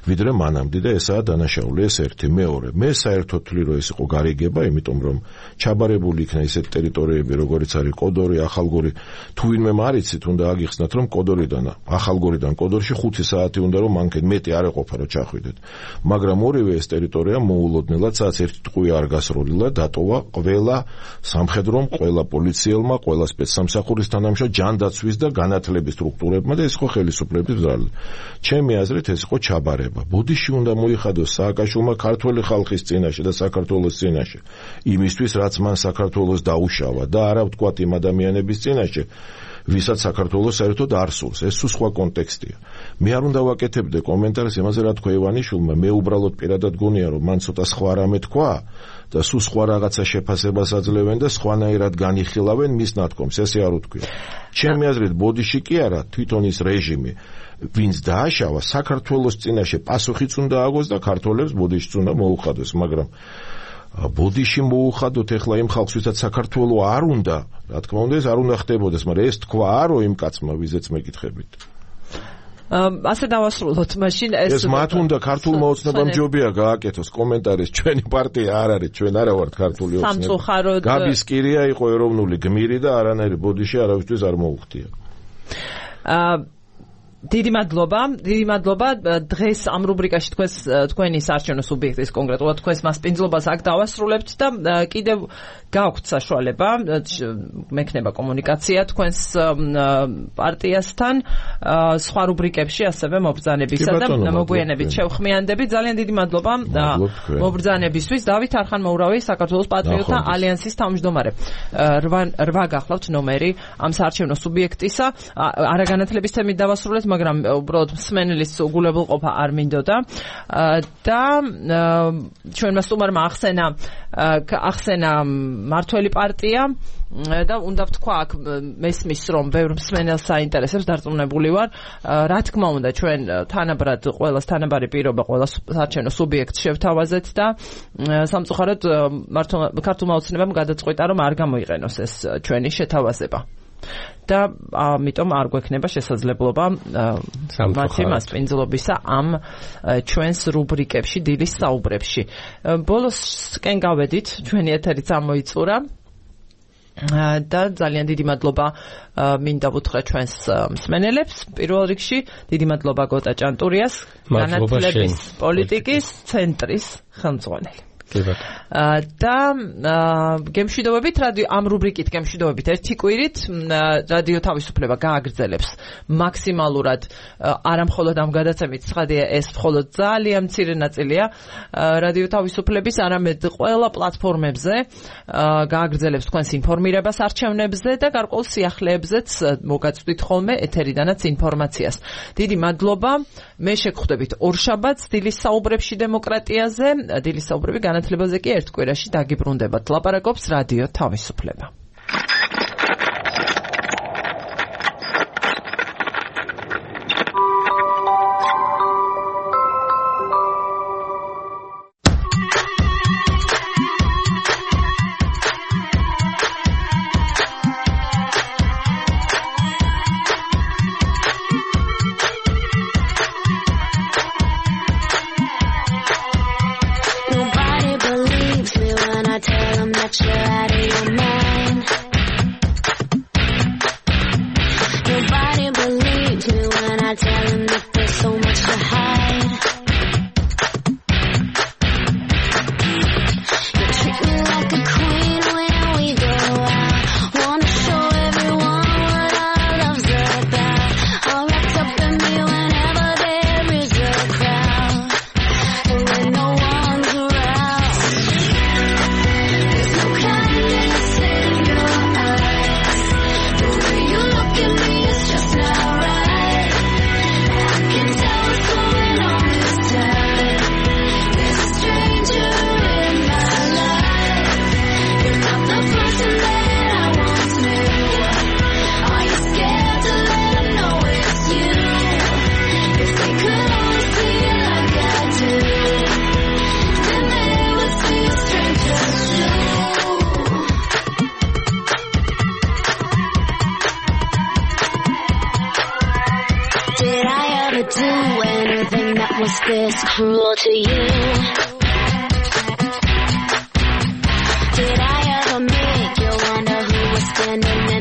ვიდრე მანამდე და ესაა დანაშაული ეს ერთი. მეორე, მე საერთოდ ვთვლი რომ ეს იყო გარიგება, იმიტომ რომ ჩაბარებული იქნა ისეთ ტერიტორიები როგორიც არის კოდორი, ახალგორი, თუ ვინმე მარიცით უნდა აგიხსნათ რომ კოდორიდან ახალგორიდან კოდორში ხუთი საათი უნდა რომ მანქეთ მეტი არ ეყოფა რომ ჩახვიდეთ. მაგრამ ორივე ეს ტერიტორია მოულოდნელად სადაც ერთი ტყვია არ გასროლილა დატოვა ყველა სამხედრომ, ყველა პოლიციელმა, ყველა სპეცსამსახურის თანამშრომლ, ჯანდაცვის და განათლების სტრუქტურებმა და ეს ხო ხელისუფლების ზრალი. ჩემი აზრით ეს იყო ჩაბარება. ბოდიში უნდა მოიხადოს სააკაშვილმა ქართველი ხალხის წინაშე და საქართველოს წინაშე. იმისთვის რაც მან საქართველოს დაუშავა და არა ვთქვათ იმ ადამიანების წინაშე, ვისაც საქართველოს საერთოდ არ სურს. ეს სულ სხვა კონტექსტია. მე არ უნდა ვაკეთებდე კომენტარს იმაზე რა თქვა ივანიშვილმა, მე უბრალოდ პირადად გონია რომ მან ცოტა სხვა რამე თქვა და სულ სხვა რაღაცა შეფასებას აძლევენ და სხვანაირად განიხილავენ მის ნათქვამს, ესე არ უთქვია. ჩემი აზრით ბოდიში კი არა, თვითონ ის რეჟიმი ვინც დააშავა საქართველოს წინაშე პასუხიც უნდა აგოს და ქართველებს ბოდიშიც უნდა მოუხადოს, მაგრამ ბოდიში მოუხადოთ ეხლა იმ ხალხს ვისაც საქართველო არ უნდა, რა თქმა უნდა ეს არ უნდა ხდებოდეს, მაგრამ ეს თქვა არო იმ კაცმა ვიზეც მეკითხებით. ასე დავასრულოთ მაშინ ეს ეს მათ უნდა ქართულმა ოცნებამ ჯობია გააკეთოს კომენტარის ჩვენი პარტია არ არის, ჩვენ არა ვართ ქართული ოცნება. სამწუხაროდ გაბისკირია იყო ეროვნული გმირი და არანაირი ბოდიში არავისთვის არ მოუხდია. აა დიდი მადლობა, დიდი მადლობა. დღეს ამ რუბრიკაში თქვენს თქვენი საარჩევნო სუბიექტის კონკრეტულად თქვენს მასპინძლობას აქ დავასრულებთ და კიდევ გაქვთ საშუალება მექნება კომუნიკაცია თქვენს პარტიასთან სხვა რუბრიკებში ასევე მობრძანებისა და მოგვიანებით შევხმიანდებით. ძალიან დიდი მადლობა მობრძანებისთვის. დავით არხანმოურავი, საქართველოს პატრიოტთა ალიანსის თავმჯდომარე. რვა გახლავთ ნომერი ამ საარჩევნო სუბიექტისა. არაგანათლების თემით დავასრულეთ, მაგრამ უბრალოდ მსმენელის უგულებელყოფა არ მინდოდა და ჩვენმა სტუმარმა ახსენა ახსენა მართველი პარტია და უნდა ვთქვა აქ მესმის რომ ბევრ მსმენელს საინტერესებს დარწმუნებული ვარ რა თქმა უნდა ჩვენ თანაბრად ყველას თანაბარი პირობა ყველა საარჩევნო სუბიექტს შევთავაზეთ და სამწუხაროდ ქართულმა ოცნებამ გადაწყვიტა რომ არ გამოიყენოს ეს ჩვენი შეთავაზება და ამიტომ არ გვექნება შესაძლებლობა მათი მასპინძლობისა ამ ჩვენს რუბრიკებში დილის საუბრებში ბოლოსკენ გავედით ჩვენი ეთერიც ამოიწურა და ძალიან დიდი მადლობა მინდა ვუთხრა ჩვენს მსმენელებს პირველ რიგში დიდი მადლობა გოტა ჭანტურიას განათლების პოლიტიკის ცენტრის ხელმძღვანელი და გემშვიდობებით რადიო ამ რუბრიკით გემშვიდობებით ერთი კვირით რადიო თავისუფლება გააგრძელებს მაქსიმალურად არა მხოლოდ ამ გადაცემით ცხადია ეს მხოლოდ ძალიან მცირე ნაწილია რადიო თავისუფლების არამედ ყველა პლატფორმებზე გააგრძელებს თქვენს ინფორმირებას არჩევნებზე და გარკვეულ სიახლეებზეც მოგაწვდით ხოლმე ეთერიდანაც ინფორმაციას დიდი მადლობა მე შეგხვდებით ორშაბათს დილის საუბრებში დემოკრატიაზე დილის საუბრები განათლებაზე კი ერთ კვირაში დაგიბრუნდებათ ლაპარაკობს რადიო თავისუფლება This cruel to you? Did I ever make you wonder who was standing